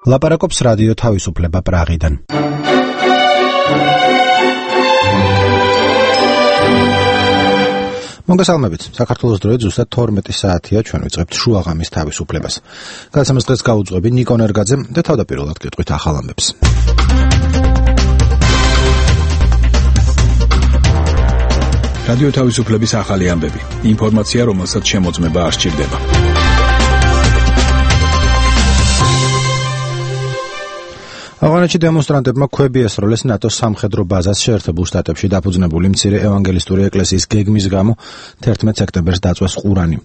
ლაპარაკობს რადიო თავისუფლება პრაღიდან. მოგესალმებით. საქართველოს დროით ზუსტად 12 საათია ჩვენ ვიწყებთ შუაღამის თავისუფლებას. გადაცემას დღეს გაუძღვები ნიკო ნერგაძე და თავდაპირველად გეტყვით ახალ ამბებს. რადიო თავისუფლების ახალი ამბები. ინფორმაცია, რომელსაც შემოწმება არ სჭირდება. ავღანეთში დემონსტრანტებმა ქვები ესროლეს ნატოს სამხედრო ბაზას შეერთებულ შტატებში დაფუძნებული მცირე ევანგელისტური ეკლესიის გეგმის გამო 11 სექტემბერს დაწვეს ყურანი.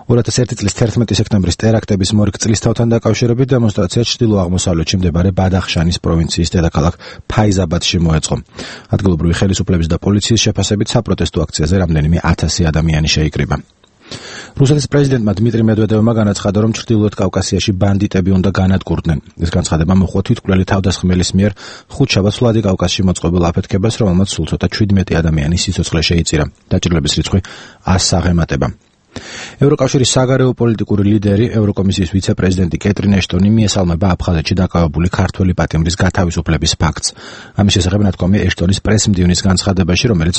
2001 წლის 11 სექტემბრის ტერაქტების მორიგ წლისთავთან დაკავშირებით დემონსტრაცია ჩრდილო-აღმოსავლეთში მდებარე ბადახშანის პროვინციის დედაქალაქ ფაიზაბადში მოეწყო. ადგილობრივი ხელისუფლების და პოლიციის შეფასებით საპროტესტო აქციაზე რამდენიმე 1000 ადამიანი შეიკრიბა. რუსეთის პრეზიდენტმა დმიტრი მედვედევმა განაცხადა, რომ ჩრდილოეთ კავკასიაში ბანდიტები უნდა განადგურდნენ. ეს განცხადება მოჰყვა თვითმკვლელი თავდასხმელის მიერ ხუთშაბათს ვლადიკავკაზში მოწყობილ აფეთქებას, რომელმაც სულ ცოტა 17 ადამიანის სიცოცხლე შეიწირა. დაჭრილების რიცხვი 100-ს აღემატება. ევროკავშირის საგარეო პოლიტიკური ლიდერი, ევროკომისიის ვიცე-პრეზიდენტი კეტრინ ეშტონი მიესალმება აფხაზეთში დაკავებული ქართველი პატიმრის გათავისუფლების ფაქტს. ამის შესახებ ნათქვამია ეშტონის პრესმდივნის განცხადებაში, რომელიც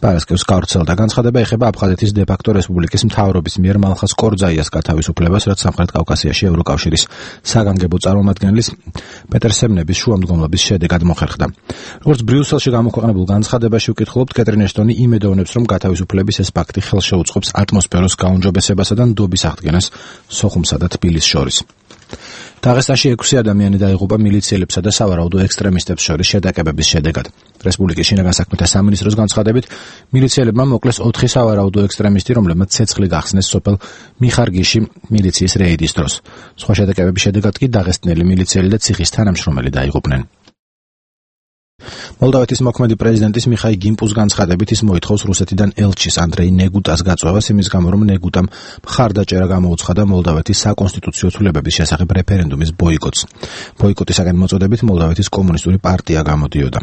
პარასკევს გავრცელდა. განცხადება ეხება აფხაზეთის დე-ფაქტო რესპუბლიკის მთავრობის მიერ მალხას კორძაიას გათავისუფლებას, რაც სამხრეთ კავკასიაში ევროკავშირის საგანგებო წარმომადგენლის პეტერ სემნების შუამდგომლობის შედეგად მოხერხდა. როგორც ბრიუსელში გამოქვეყნებულ განცხადებაში ვკითხულობთ, კეტრინ ეშტონი იმედოვნებს, რომ გათავისუფლების ეს ფაქტი ხელშეუწყობს ატმოსფეროს გაუმჯობესებასა და ნდობის აღდგენას სოხუმსა და თბილისს შორის. დაღესტანში 6 ადამიანი დაიღუპა მილიციელებსა და სავარაუდო ექსტრემისტებს შორის შეტაკებების შედეგად. რესპუბლიკის შინაგან საქმეთა სამინისტროს განცხადებით, მილიციელებმა მოკლეს 4 სავარაუდო ექსტრემისტი, რომლებმაც ცეცხლი გახსნეს სოფელ მიხარგიში მილიციის რეიდის დროს. სხვა შეტაკებების შედეგად კი დაღესტნელი მილიციელი და ციხის თანამშრომელი დაიღუპნენ. მოლდავეთის მოქმედი პრეზიდენტის მიხაილ გიმპუს განცხადებით ის მოითხოვს რუსეთიდან ელჩის ანდრეი ნეგუტას გაწვევას იმის გამო, რომ ნეგუტამ მხარდაჭერა გამოუცხადა მოლდავეთის საკონსტიტუციო ცვლილებების შესახებ რეფერენდუმის ბოიკოტს. ბოიკოტისაგან მოწოდებით მოლდავეთის კომუნისტური პარტია გამოდიოდა.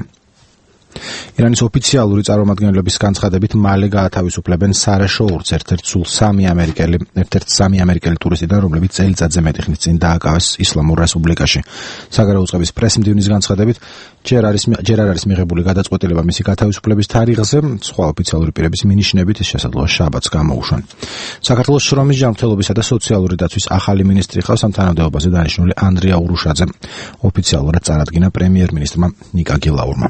ირანის ოფიციალური წარმომადგენლების განცხადებით მალე გაათავისუფლებენ სარა შოურს, ერთ-ერთ სამი ამერიკელი ტურისტიდან, რომლებიც წელიწადზე მეტი ხნის წინ დააკავეს ისლამურ რესპუბლიკაში. საგარეო წყების პრესმდივნის განცხადებით ჯერ არ არის მიღებული გადაწყვეტილება მისი გათავისუფლების თარიღზე, სხვა ოფიციალური პირების მინიშნებით ეს შესაძლოა შაბათს გამოუშვან. საქართველოს შრომის ჯანმრთელობისა და სოციალური დაცვის ახალი მინისტრი ხავს, ამ თანამდებობაზე დანიშნული ანდრია ურუშაძე ოფიციალურად წარადგინა პრემიერ-მინისტრმა ნიკა გილაურმა.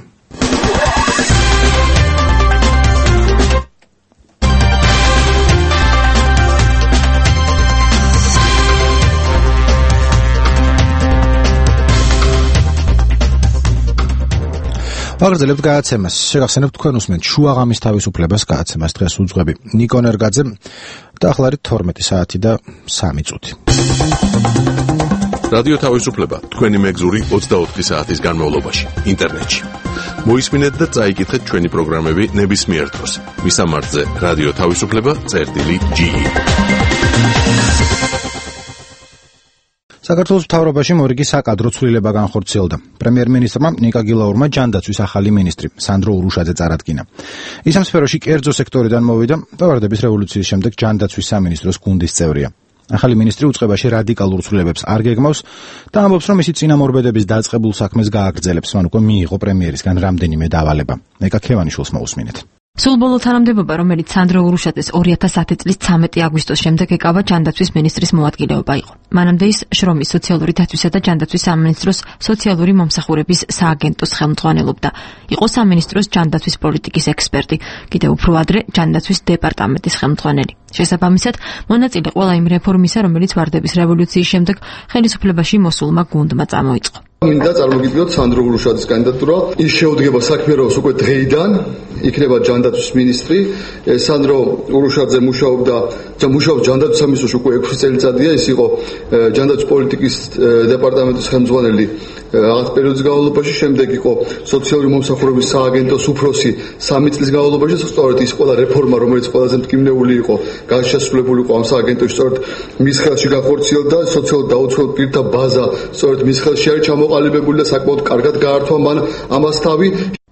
ვაგრძელებთ გადაცემას. შეგახსენებთ თქვენ უსმენთ შუაღამის თავისუფლებას გადაცემას. დღეს უძღვები ნიკო ნერგაძე და ახლა არის 12 საათი და 3 წუთი. რადიო თავისუფლება თქვენი მეგზური 24 საათის განმავლობაში ინტერნეტში. მოისმინეთ და წაიკითხეთ ჩვენი პროგრამები ნებისმიერ დროს. მისამართზე რადიო თავისუფლება.ge. საქართველოს მთავრობაში მორიგი საკადრო ცვლილება განხორციელდა. პრემიერ-მინისტრმა ნიკა გილაურმა ჯანდაცვის ახალი მინისტრი სანდრო ურუშაძე წარადგინა. ის ამ სფეროში კერძო სექტორიდან მოვიდა და ვარდების რევოლუციის შემდეგ ჯანდაცვის სამინისტროს გუნდის წევრია. ახალი მინისტრი უწყებაში რადიკალურ ცვლილებებს არ გეგმავს და ამბობს, რომ ისი წინამორბედების დაწყებულ საქმეს გააგრძელებს. მან უკვე მიიღო პრემიერისგან რამდენიმე დავალება. ნეკა ქევანიშვილს მოусმინეთ. სულბოლო თანამდებობა, რომელიც სანდრო ურუშაძეს 2010 წლის 13 აგვისტოს შემდეგ ეკავა ჯანდაცვის მინისტრის მოადგილეობა იყო. მანამდე ის შრომის, სოციალური დაცვისა და ჯანდაცვის სამინისტროს სოციალური მომსახურების სააგენტოს ხელმძღვანელობდა. იყო სამინისტროს ჯანდაცვის პოლიტიკის ექსპერტი, კიდევ უფრო ადრე ჯანდაცვის დეპარტამენტის ხელმძღვანელი. შესაბამისად, მონაწილე ყველა იმ რეფორმისა, რომელიც ვარდების რევოლუციის შემდეგ ხელისუფლებაში მოსულმა გუნდმა წამოიწყო. მინდა წარმოგიდგინოთ სანდრო ურუშაძის კანდიდატურა. ის შეუდგება საქმიანობას უკვე დღეიდან, იქნება ჯანდაცვის მინისტრი. სანდრო ურუშაძე მუშაობს ჯანდაცვის სამინისტროში უკვე 6 წელიწადია. ის იყო ჯანდაცვის პოლიტიკის დეპარტამენტის ხელმძღვანელი რაღაც პერიოდის განმავლობაში, შემდეგ იყო სოციალური მომსახურების სააგენტოს უფროსი 3 წლის განმავლობაში. სწორედ ის ყველა რეფორმა, რომელიც ყველაზე მტკივნეული იყო, განშესრულებული იყო ამ სააგენტოში, სწორედ მის ხელში განხორციელდა. სოციალურ დაუცველ პირთა ბაზა სწორედ მის ხელში არის ჩამოყალიბებული და საკმაოდ კარგად გაართვა მან ამას თავი.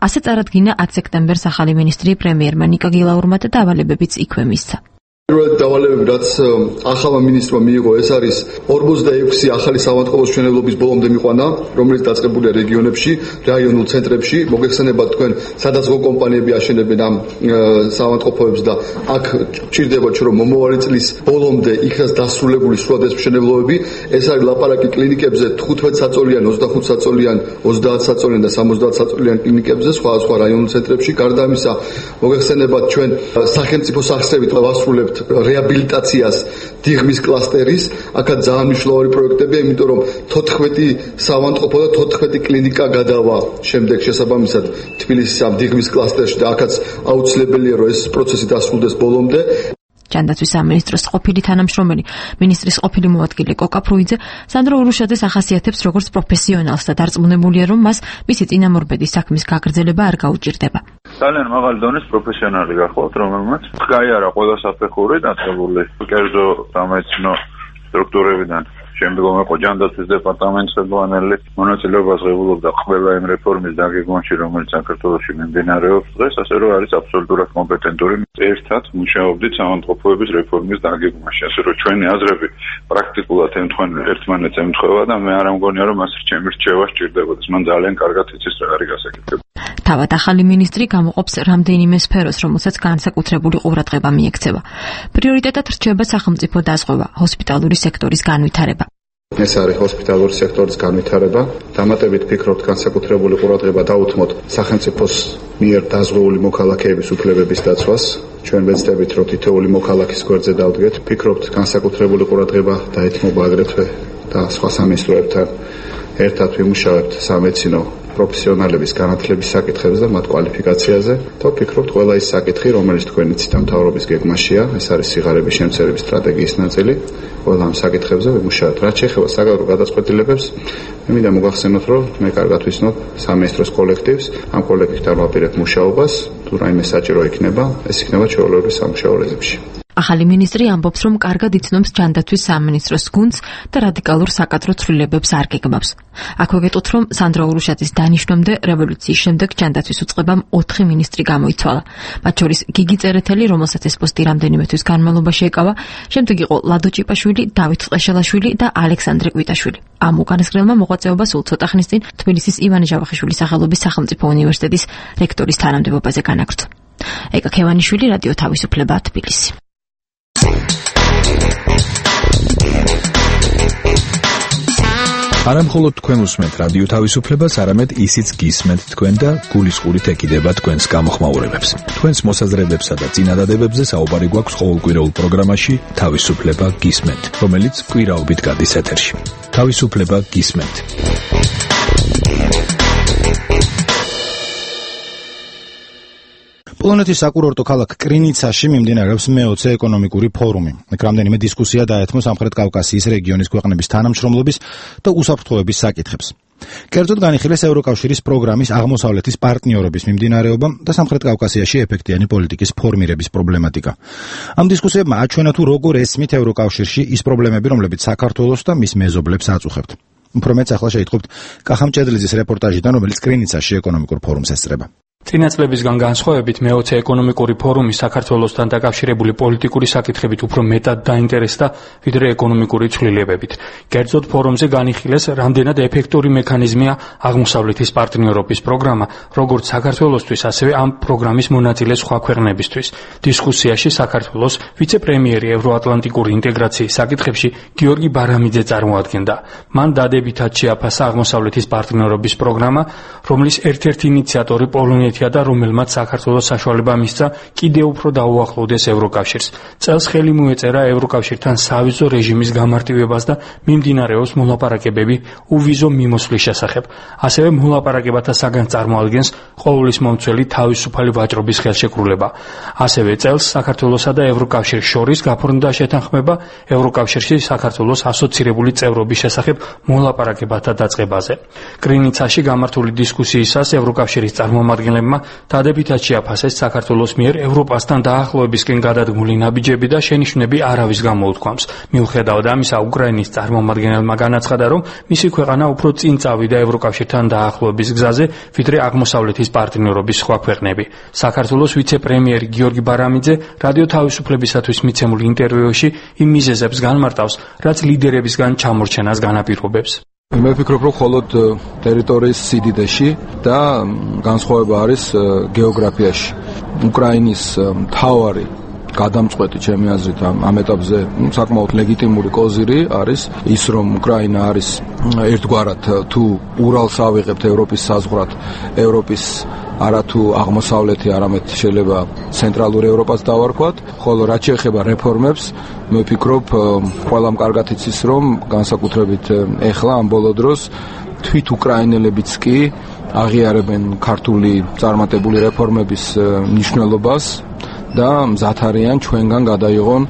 ასე წარადგინა 10 სექტემბერს ახალი მინისტრი პრემიერმა ნიკა გილაურმა და დავალებებიც იქვე მისცა. პირველად დავალებები, რაც ახალმა მინისტრმა მიიღო, ეს არის 46 ახალი საავადმყოფოს მშენებლობის ბოლომდე მიყვანა, რომელიც დაწყებულია რეგიონებში, რაიონულ ცენტრებში. მოგეხსენებათ თქვენ, სადაც კომპანიები აშენებენ ამ საავადმყოფოებს და აქ ჭირდებათ, რომ მომავალი წლის ბოლომდე იქაც დასრულებული სულად ეს მშენებლობები. ეს არის ლაპარაკი კლინიკებზე 15 საწოლიან, 25 საწოლიან, 30 საწოლიან და 70 საწოლიან კლინიკებზე, სხვა რაიონულ ცენტრებში. გარდა ამისა, მოგეხსენებათ ჩვენ სახელმწიფო სახსრებით ვასრულებთ რეაბილიტაციას დიღმის კლასტერის, აქაც ძალიან მნიშვნელოვანი პროექტებია, იმიტომ რომ 14 საავადმყოფო და 14 კლინიკა გადავა შემდეგ შესაბამისად თბილისის ამ დიღმის კლასტერში და აქაც აუცილებელია რომ ეს პროცესი დასრულდეს ბოლომდე. ჯანდაცვის სამინისტროს ყოფილი თანამშრომელი, მინისტრის ყოფილი მოადგილე კოკა ფრუიძე სანდრო ურუშაძეს ახასიათებს როგორც პროფესიონალს და დარწმუნებულია, რომ მას მისი წინამორბედის საქმის გაგრძელება არ გაუჭირდება. ძალიან მაღალი დონის პროფესიონალი გახლავთ, რომელმაც გაიარა ყველა საფეხური დაწყებული კერძო სამეცნიერო სტრუქტურებიდან. შემდგომ იყო ჯანდაცვის დეპარტამენტის ხელმძღვანელი, მონაწილეობას ღებულობდა ყველა იმ რეფორმის დაგეგმვაში, რომელიც საქართველოში მიმდინარეობს დღეს, ასე რომ არის აბსოლუტურად კომპეტენტური. ერთად მუშაობდით საავადმყოფოების რეფორმის დაგეგმვაში, ასე რომ ჩვენი აზრები პრაქტიკულად ერთმანეთს ემთხვევა და მე არ მგონია, რომ მას ჩემი რჩევა სჭირდებოდეს. მან ძალიან კარგად იცის რა არის გასაკეთებელი. თავად ახალი მინისტრი გამოყოფს რამდენიმე სფეროს, რომელსაც განსაკუთრებული ყურადღება მიექცევა. პრიორიტეტად რჩება სახელმწიფო დაზღვევა, ჰოსპიტალური სექტორის განვითარება. ეს არის ჰოსპიტალური სექტორის განვითარება. დამატებით ფიქრობთ, განსაკუთრებული ყურადღება დაუთმოთ სახელმწიფოს მიერ დაზღვეული მოქალაქეების უფლებების დაცვას. ჩვენ ვეცდებით, რომ თითოეული მოქალაქის გვერდზე დავდგეთ. ფიქრობთ, განსაკუთრებული ყურადღება დაეთმობა აგრეთვე და სხვა სამინისტროებთან ერთად ვიმუშავებთ სამედიცინო პროფესიონალების განათლების საკითხებზე და მათ კვალიფიკაციაზე. და ვფიქრობთ, ყველა ის საკითხი, რომელიც თქვენი ციტამთავრობის გეგმაშია, ეს არის სიღარიბის შემცირების სტრატეგიის ნაწილი. ყველა ამ საკითხებზე ვიმუშავებთ. რაც შეეხება საკადრო გადაწყვეტილებებს, მე მინდა მოგახსენოთ, რომ მე კარგად ვიცნობ სამინისტროს კოლექტივს, ამ კოლექტივთან ვაპირებ მუშაობას, თუ რაიმე საჭირო იქნება, ეს იქნება ჩვეულებრივ სამუშაო რეჟიმში. ახალი მინისტრი ამბობს, რომ კარგად იცნობს ჯანდაცვის სამინისტროს გუნდს და რადიკალურ საკადრო ცვლილებებს არ გეგმავს. აქვე გეტყვით, რომ სანდრო ურუშაძის დანიშვნამდე რევოლუციის შემდეგ ჯანდაცვის უწყებამ 4 მინისტრი გამოიცვალა. მათ შორის გიგი წერეთელი, რომელსაც ეს პოსტი რამდენიმე თვის განმავლობაში ეკავა, შემდეგ იყო ლადო ჭიპაშვილი, დავით წყეშელაშვილი და ალექსანდრე კვიტაშვილი. ამ უკანასკნელმა მოღვაწეობა სულ ცოტა ხნის წინ თბილისის ივანე ჯავახიშვილის სახელობის სახელმწიფო უნივერსიტეტის რექტორის თანამდებობაზე განაგრძო. ეკა ქევანიშვილი, რადიო თავისუფლება, თბილისი. არა მხოლოდ თქვენ უსმენთ რადიო თავისუფლებას, არამედ ისიც გისმენთ თქვენ და გულისყურით ეკიდება თქვენს გამოხმაურებებს. თქვენს მოსაზრებებსა და წინადადებებზე საუბარი გვაქვს ყოველკვირეულ პროგრამაში თავისუფლება გისმენთ, რომელიც კვირაობით გადის ეთერში. თავისუფლება გისმენთ. პოლონეთის საკურორტო ქალაქ კრინიცაში მიმდინარეობს მე-20 ეკონომიკური ფორუმი. აქ რამდენიმე დისკუსია დაეთმო სამხრეთ კავკასიის რეგიონის ქვეყნების თანამშრომლობის და უსაფრთხოების საკითხებს. კერძოდ განიხილეს ევროკავშირის პროგრამის აღმოსავლეთის პარტნიორობის მიმდინარეობა და სამხრეთ კავკასიაში ეფექტიანი პოლიტიკის ფორმირების პრობლემატიკა. ამ დისკუსიებმა აჩვენა თუ როგორ ესმით ევროკავშირში ის პრობლემები, რომლებიც საქართველოს და მის მეზობლებს აწუხებთ. უფრო მეც ახლა შეიტყობთ კახამ ჭედლიძის რეპორტაჟიდან, რომელიც კრინიცაში ეკონომიკურ ფორუმს ესწრება. წინა წლებისგან განსხვავებით მე-20 ეკონომიკური ფორუმი საქართველოსთან დაკავშირებული პოლიტიკური საკითხებით უფრო მეტად დაინტერესდა ვიდრე ეკონომიკური ცვლილებებით. კერძოდ ფორუმზე განიხილეს, რამდენად ეფექტური მექანიზმია აღმოსავლეთის პარტნიორობის პროგრამა, როგორც საქართველოსთვის, ასევე ამ პროგრამის მონაწილე სხვა ქვეყნებისთვის. დისკუსიაში საქართველოს ვიცე-პრემიერი ევროატლანტიკური ინტეგრაციის საკითხებში გიორგი ბარამიძე წარმოადგენდა. მან დადებითად შეაფასა აღმოსავლეთის პარტნიორობის პროგრამა, რომლის ერთ-ერთი ინიციატორი პოლონეთი და რომელმაც საქართველოს საშუალება მისცა კიდევ უფრო დაუახლოვდეს ევროკავშირს. წელს ხელი მოეწერა ევროკავშირთან სავიზო რეჟიმის გამარტივებას და მიმდინარეობს მოლაპარაკებები უვიზო მიმოსვლის შესახებ. ასევე მოლაპარაკებათა საგანს წარმოადგენს ყოვლისმომცველი თავისუფალი ვაჭრობის ხელშეკრულება. ასევე წელს საქართველოსა და ევროკავშირს შორის გაფორმდა შეთანხმება ევროკავშირში საქართველოს ასოცირებული წევრობის შესახებ მოლაპარაკებათა დაწყებაზე. კრინიცაში გამართული დისკუსიისას ევროკავშირის წარმომადგენლები ხელმძღვანელებმა დადებითად შეაფასეს საქართველოს მიერ ევროპასთან დაახლოებისკენ გადადგმული ნაბიჯები და შენიშვნები არავის გამოუთქვამს. მიუხედავად ამისა, უკრაინის წარმომადგენელმა განაცხადა, რომ მისი ქვეყანა უფრო წინ წავიდა ევროკავშირთან დაახლოების გზაზე, ვიდრე აღმოსავლეთის პარტნიორობის სხვა ქვეყნები. საქართველოს ვიცე-პრემიერი გიორგი ბარამიძე რადიო თავისუფლებისათვის მიცემულ ინტერვიუში იმ მიზეზებს განმარტავს, რაც ლიდერებისგან ჩამორჩენას განაპირობებს. მე ვფიქრობ, რომ მხოლოდ ტერიტორიის სიდიდეში და განსხვავება არის გეოგრაფიაში. უკრაინის მთავარი გადამწყვეტი ჩემი აზრით ამ ეტაპზე საკმაოდ ლეგიტიმური კოზირი არის ის, რომ უკრაინა არის ერთგვარად თუ ურალს ავიღებთ ევროპის საზღვრად, ევროპის არათუ აღმოსავლეთი, არამედ შეიძლება ცენტრალური ევროპას დავარქვათ, ხოლო რაც შეეხება რეფორმებს, მე ვფიქრობ, ყველამ კარგად იცის, რომ განსაკუთრებით ეხლა ამ ბოლო დროს თვით უკრაინელებიც კი აღიარებენ ქართული წარმატებული რეფორმების მნიშვნელობას და მზად არიან ჩვენგან გადაიღონ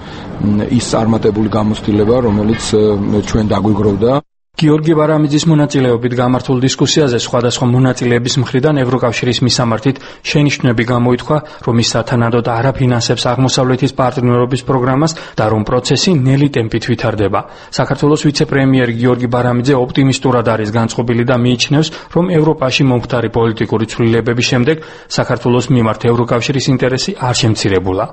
ის წარმატებული გამოცდილება, რომელიც ჩვენ დაგვიგროვდა. გიორგი ბარამიძის მონაწილეობით გამართულ დისკუსიაზე სხვადასხვა მონაწილეების მხრიდან ევროკავშირის მისამართით შენიშვნები გამოითქვა, რომ ის სათანადოდ არ აფინანსებს აღმოსავლეთის პარტნიორობის პროგრამას და რომ პროცესი ნელი ტემპით ვითარდება. საქართველოს ვიცე-პრემიერი გიორგი ბარამიძე ოპტიმისტურად არის განწყობილი და მიიჩნევს, რომ ევროპაში მომხდარი პოლიტიკური ცვლილებების შემდეგ საქართველოს მიმართ ევროკავშირის ინტერესი არ შემცირებულა.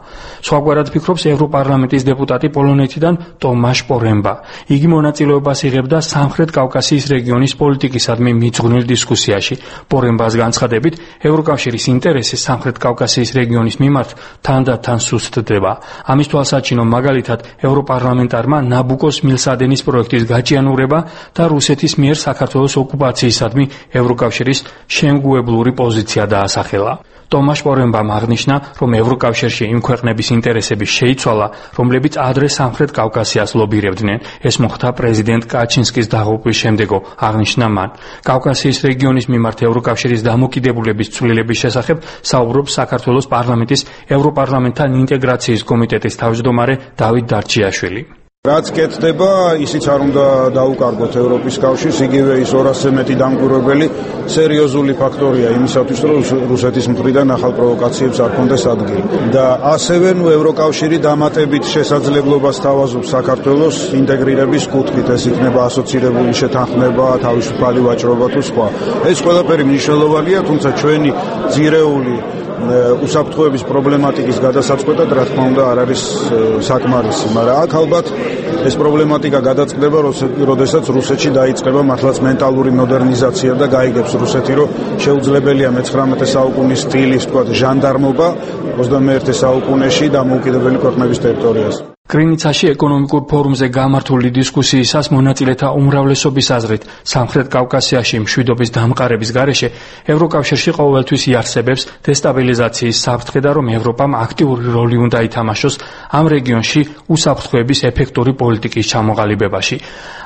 სხვაგვარად ფიქრობს ევროპარლამენტის დეპუტატი პოლონეთიდან ტომაშ პორემბა. იგი მონაწილეობას იღებდა სამხრეთ კავკასიის რეგიონის პოლიტიკისადმი მიძღვნილ დისკუსიაში. პორემბას განცხადებით, ევროკავშირის ინტერესი სამხრეთ კავკასიის რეგიონის მიმართ თანდათან სუსტდება. ამის თვალსაჩინო მაგალითად ევროპარლამენტარმა ნაბუკოს მილსადენის პროექტის გაჭიანურება და რუსეთის მიერ საქართველოს ოკუპაციისადმი ევროკავშირის შემგუებლური პოზიცია დაასახელა. ტომაშ პორემბამ აღნიშნა, რომ ევროკავშირში იმ ქვეყნების ინტერესები შეიცვალა, რომლებიც ადრე სამხრეთ კავკასიას ლობირებდნენ. ეს მოხდა პრეზიდენტ კაჩინსკის დაღუპვის შემდეგო, აღნიშნა მან. კავკასიის რეგიონის მიმართ ევროკავშირის დამოკიდებულების ცვლილების შესახებ საუბრობს საქართველოს პარლამენტის ევროპარლამენტთან ინტეგრაციის კომიტეტის თავმჯდომარე დავით დარჩიაშვილი. რაც კეთდება, ისიც არ უნდა დაუკარგოთ ევროპის კავშირს, იგივე ის 200-ზე მეტი დამკვირვებელი სერიოზული ფაქტორია იმისათვის, რომ რუსეთის მხრიდან ახალ პროვოკაციებს არ კონდეს ადგილი. და ასევე ევროკავშირი დამატებით შესაძლებლობას თავაზობს საქართველოს ინტეგრირების კუთხით, ეს იქნება ასოცირებული შეთანხმება, თავისუფალი ვაჭრობა თუ სხვა. ეს ყველაფერი მნიშვნელოვანია, თუმცა ჩვენი ძირეული უსაფრთხოების პრობლემატიკის გადასაწყვეტად, რა თქმა უნდა, არ არის საკმარისი, მაგრამ აქ ალბათ ეს პრობლემატიკა გადაწყდება, როდესაც რუსეთში დაიწყება მართლაც მენტალური მოდერნიზაცია და გაიგებს რუსეთი, რომ შეუძლებელია მე-19 საუკუნის სტილის, თქვათ, ჟანდარმობა 21 საუკუნეში დამოუკიდებელი ქვეყნების ტერიტორიაზე. კრინიცაში ეკონომიკურ ფორუმზე გამართული დისკუსიისას მონაწილეთა უმრავლესობის აზრით სამხრეთ კავკასიაში მშვიდობის დამყარების გარეშე ევროკავშირში ყოველთვის იარსებებს დესტაბილიზაციის საფრთხე და რომ ევროპამ აქტიური როლი უნდა ითამაშოს ამ რეგიონში უსაფრთხოების ეფექტური პოლიტიკის ჩამოყალიბებაში.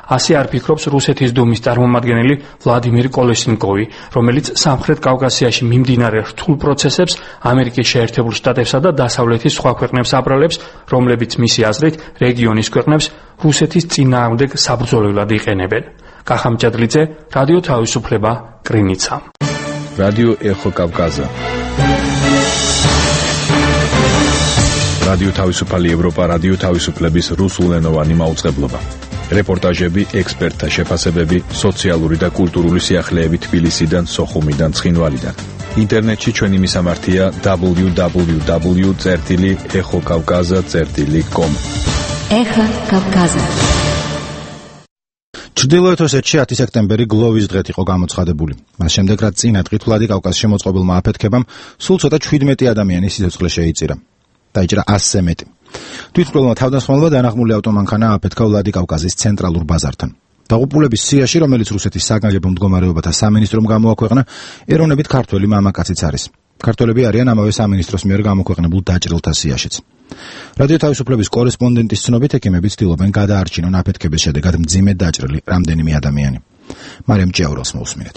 ასე არ ფიქრობს რუსეთის დუმის წარმომადგენელი ვლადიმირ კოლესნიკოვი, რომელიც სამხრეთ კავკასიაში მიმდინარე რთულ პროცესებს ამერიკის შეერთებულ შტატებსა და დასავლეთის სხვა ქვეყნებს აბრალებს, რომლებიც მისი აზრით რეგიონის ქვეყნებს რუსეთის წინააღმდეგ საბრძოლველად იყენებენ. კახამჭადლიძე, რადიო თავისუფლება, კრინიცა. რადიო ეხო კავკაზა. რადიო თავისუფალი ევროპა, რადიო თავისუფლების რუსულენოვანი მაუწყებლობა. რეპორტაჟები, ექსპერტთა შეფასებები, სოციალური და კულტურული სიახლეები თბილისიდან, სოხუმიდან, ცხინვალიდან. ინტერნეტში ჩვენი მისამართია www.exokavkaza.com. ეხა კავკაზა. ჩრდილოეთ ოსეთში 10 სექტემბერი გლოვის დღეთ იყო გამოცხადებული. მას შემდეგ, რაც წინა დღით ვლადიკავკაზში მოწყობილმა აფეთქებამ სულ ცოტა 17 ადამიანის სიცოცხლე შეიწირა. დაიჭრა 100-ზე მეტი. თვითმკვლელმა თავდასხმელმა დანაღმული ავტომანქანა აფეთქა ვლადიკავკაზის ცენტრალურ ბაზართან. დაღუპულების სიაში, რომელიც რუსეთის საგანგებო მდგომარეობათა სამინისტრომ გამოაქვეყნა, ეროვნებით ქართველი მამაკაციც არის. ქართველები არიან ამავე სამინისტროს მიერ გამოქვეყნებულ დაჭრილთა სიაშიც. რადიო თავისუფლების კორესპონდენტის ცნობით, ექიმები ცდილობენ გადაარჩინონ აფეთქების შედეგად მძიმედ დაჭრილი რამდენიმე ადამიანი. მარიამ ჭიაურელს მოусმინეთ.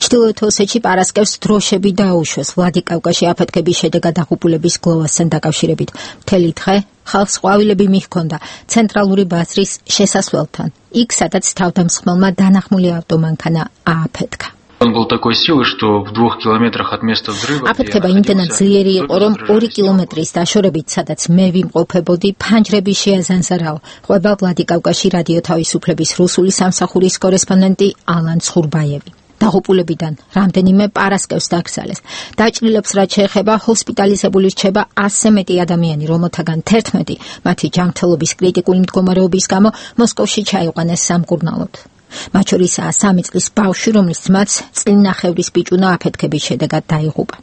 ჩრდილოეთ ოსეთში პარასკევს დროშები დაუშვეს ვლადიკავკაზში აფეთქების შედეგად დაღუპულების გლოვასთან დაკავშირებით. მთელი დღე ხალხს ყვავილები მიჰქონდა ცენტრალური ბაზრის შესასვლელთან, იქ სადაც თავდამსხმელმა დანახმული ავტომანქანა ააფეთქა. Он был такой силы, что в 2 километрах от места взрыва... აფეთქება იმდენად ძლიერი იყო, რომ 2 კილომეტრის დაშორებით, სადაც მე ვიმყოფებოდი, ფანჯრები შეაზანზარაო. ყვება ვლადიკავკაში რადიო თავისუფლების რუსული სამსახურის კორესპონდენტი ალან ცხურბაევი. დაღუპულებიდან რამდენიმე პარასკევს დაკრძალეს. დაჭრილებს რაც შეეხება, ჰოსპიტალიზებული რჩება 100-ზე მეტი ადამიანი, რომელთაგან 11 მათი ჯანმრთელობის კრიტიკული მდგომარეობის გამო მოსკოვში ჩაიყვანეს სამკურნალოდ. მათ შორისაა 3 წლის ბავშვი, რომლის ძმაც წლინახევრის ბიჭუნა აფეთქების შედეგად დაიღუპა.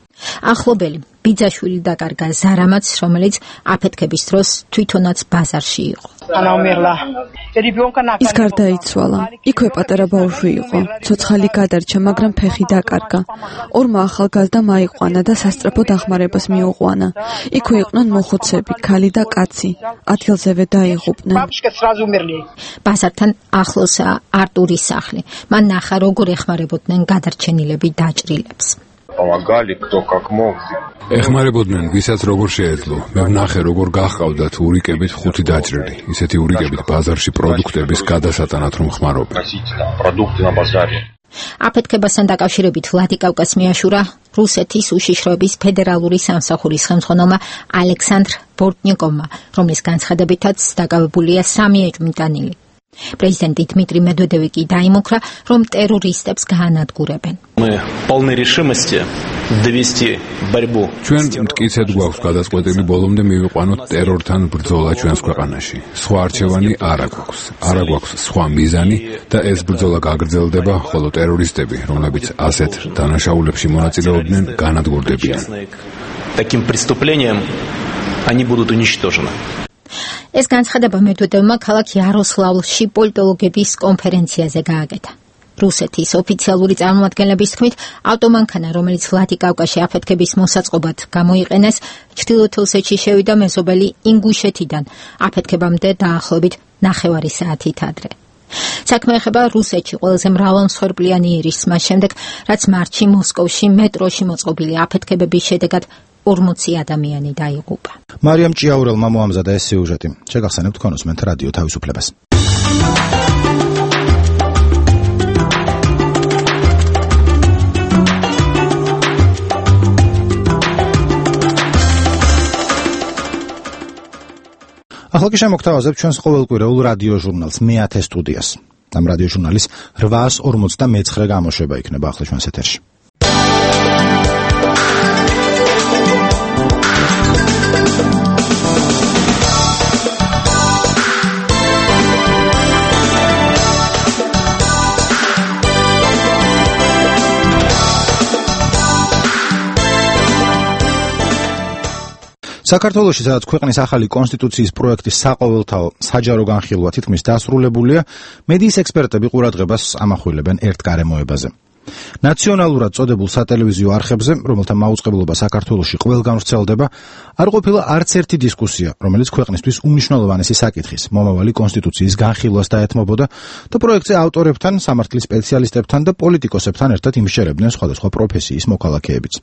ახლობელი ბიძაშვილი დაკარგა ზარამაც, რომელიც აფეთქების დროს თვითონაც ბაზარში იყო. ის გარდაიცვალა. იქვე პატარა ბავშვი იყო. ცოცხალი გადარჩა, მაგრამ ფეხი დაკარგა. ორმა ახალგაზრდამ აიყვანა და სასწრაფო დახმარებას მიუყვანა. იქვე იყვნენ მოხუცები, ქალი და კაცი. ადგილზევე დაიღუპნენ. ბაზართან ახლოსაა არტურის სახლი. მან ნახა, როგორ ეხმარებოდნენ გადარჩენილები დაჭრილებს. ეხმარებოდნენ ვისაც როგორ შეეძლო. მე ვნახე როგორ გაჰყავდათ ურიკებით 5 დაჭრილი. ისეთი ურიკებით ბაზარში პროდუქტების გადასატანად რომ ხმარობენ. აფეთქებასთან დაკავშირებით ვლადიკავკას მიაშურა რუსეთის უშიშროების ფედერალური სამსახურის ხელმძღვანელმა ალექსანდრ ბორტნიკოვმა, რომლის განცხადებითაც დაკავებულია 3 ეჭვმიტანილი. პრეზიდენტი დმიტრი მედვედევი კი დაიმუქრა, რომ ტერორისტებს გაანადგურებენ. ჩვენ მტკიცედ გვაქვს გადაწყვეტილი ბოლომდე მივიყვანოთ ტერორთან ბრძოლა ჩვენს ქვეყანაში. სხვა არჩევანი არ აქვს. არ აქვს სხვა მიზანი და ეს ბრძოლა გაგრძელდება, ხოლო ტერორისტები, რომლებიც ასეთ დანაშაულებში მონაწილეობდნენ, განადგურდებიან. Таким преступлением они будут уничтожены. ეს განცხადება მედვედევმა ქალაქ იაროსლავლში პოლიტოლოგების კონფერენციაზე გააკეთა. რუსეთის ოფიციალური წარმომადგენლების თქმით, ავტომანქანა, რომელიც ვლადიკავკაში აფეთქების მოსაწყობად გამოიყენეს, ჩრდილოეთ ოსეთში შევიდა მეზობელი ინგუშეთიდან, აფეთქებამდე დაახლოებით 9 საათით ადრე. საქმე ეხება რუსეთში ყველაზე მრავალმსხვერპლიანი ირისს, მას შემდეგ, რაც მარტში მოსკოვში მეტროში მოწყობილი აფეთქებების შედეგად 40 ადამიანი დაიღუპა. მარიამ ჭიაურელმა მოამზადა ეს სიუჟეტი. შეგახსენებთ კონსმენთ რადიო თავისუფლებას. ახლა კი შემოგთავაზებ ჩვენს ყოველკვირეულ რადიო ჟურნალს მე-10 სტუდიას. ამ რადიო ჟურნალის 859 გამოშვება იქნება ახლა ჩვენს ეთერში. საქართველოში, სადაც ქვეყნის ახალი კონსტიტუციის პროექტის საყოველთაო საჯარო განხილვა თითქმის დასრულებულია, მედიის ექსპერტები ყურადღებას ამახვილებენ ერთ გარემოებაზე. ნაციონალურად წოდებულ სატელევიზიო არხებზე, რომელთა მაუწყებლობა საქართველოში ყველგან ვრცელდება, არ ყოფილა არც ერთი დისკუსია, რომელიც ქვეყნისთვის უმნიშვნელოვანესი საკითხის, მომავალი კონსტიტუციის განხილვას დაეთმობოდა და პროექტზე ავტორებთან, სამართლის სპეციალისტებთან და პოლიტიკოსებთან ერთად იმსჯერებდნენ სხვადასხვა პროფესიის მოქალაქეებიც.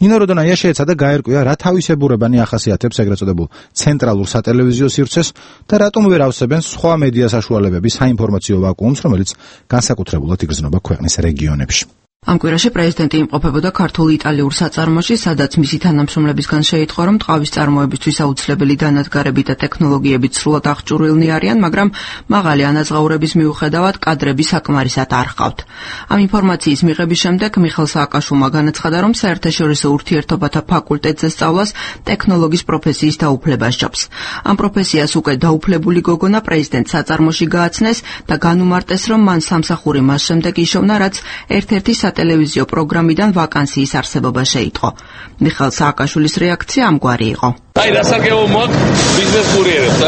ნინო როდონაია შეეცადა გაერკვია, რა თავისებურებანი ახასიათებს ეგრეთ წოდებულ ცენტრალურ სატელევიზიო სივრცეს და რატომ ვერ ავსებენ სხვა მედია საშუალებების საინფორმაციო ვაკუუმს, რომელიც განსაკუთრებულად იგრძნობა ქვეყნის რეგიონებში. ამ კვირაში პრეზიდენტი იმყოფებოდა ქართულ-იტალიურ საწარმოში, სადაც მისი თანამშრომლებისგან შეიტყო, რომ ტყავის წარმოებისთვის აუცილებელი დანადგარები და ტექნოლოგიები სრულად აღჭურვილნი არიან, მაგრამ მაღალი ანაზღაურების მიუხედავად კადრები საკმარისად არ ჰყავთ. ამ ინფორმაციის მიღების შემდეგ მიხეილ სააკაშვილმა განაცხადა, რომ საერთაშორისო ურთიერთობათა ფაკულტეტზე სწავლას ტექნოლოგის პროფესიის დაუფლება სჯობს. ამ პროფესიას უკვე დაუფლებული გოგონა პრეზიდენტ საწარმოში გააცნეს და განუმარტეს, რომ მან სამსახური მას შემდეგ იშოვნა, რაც ერთ-ერთი სატელევიზიო პროგრამიდან ვაკანსიის არსებობა შეიტყო. მიხეილ სააკაშვილის რეაქცია ამგვარი იყო. აი, დასაგებო მოაქვს ბიზნეს კურიერებს,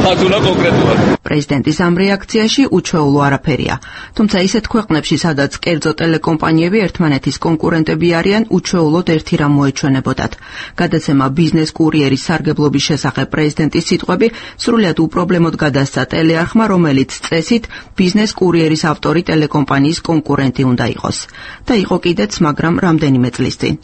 ხათუნა კონკრეტულად. პრეზიდენტის ამ რეაქციაში უჩვეულო არაფერია. თუმცა ისეთ ქვეყნებში, სადაც კერძო ტელეკომპანიები ერთმანეთის კონკურენტები არიან, უჩვეულოდ ერთი რამ მოეჩვენებოდათ. გადაცემა ბიზნეს კურიერის სარგებლობის შესახებ პრეზიდენტის სიტყვები სრულიად უპრობლემოდ გადასცა ტელეარხმა, რომელიც წესით ბიზნეს კურიერის ავტორი ტელეკომპანიის კონკურენტი უნდა იყოს. და იყო კიდეც, მაგრამ რამდენიმე წლის წინ.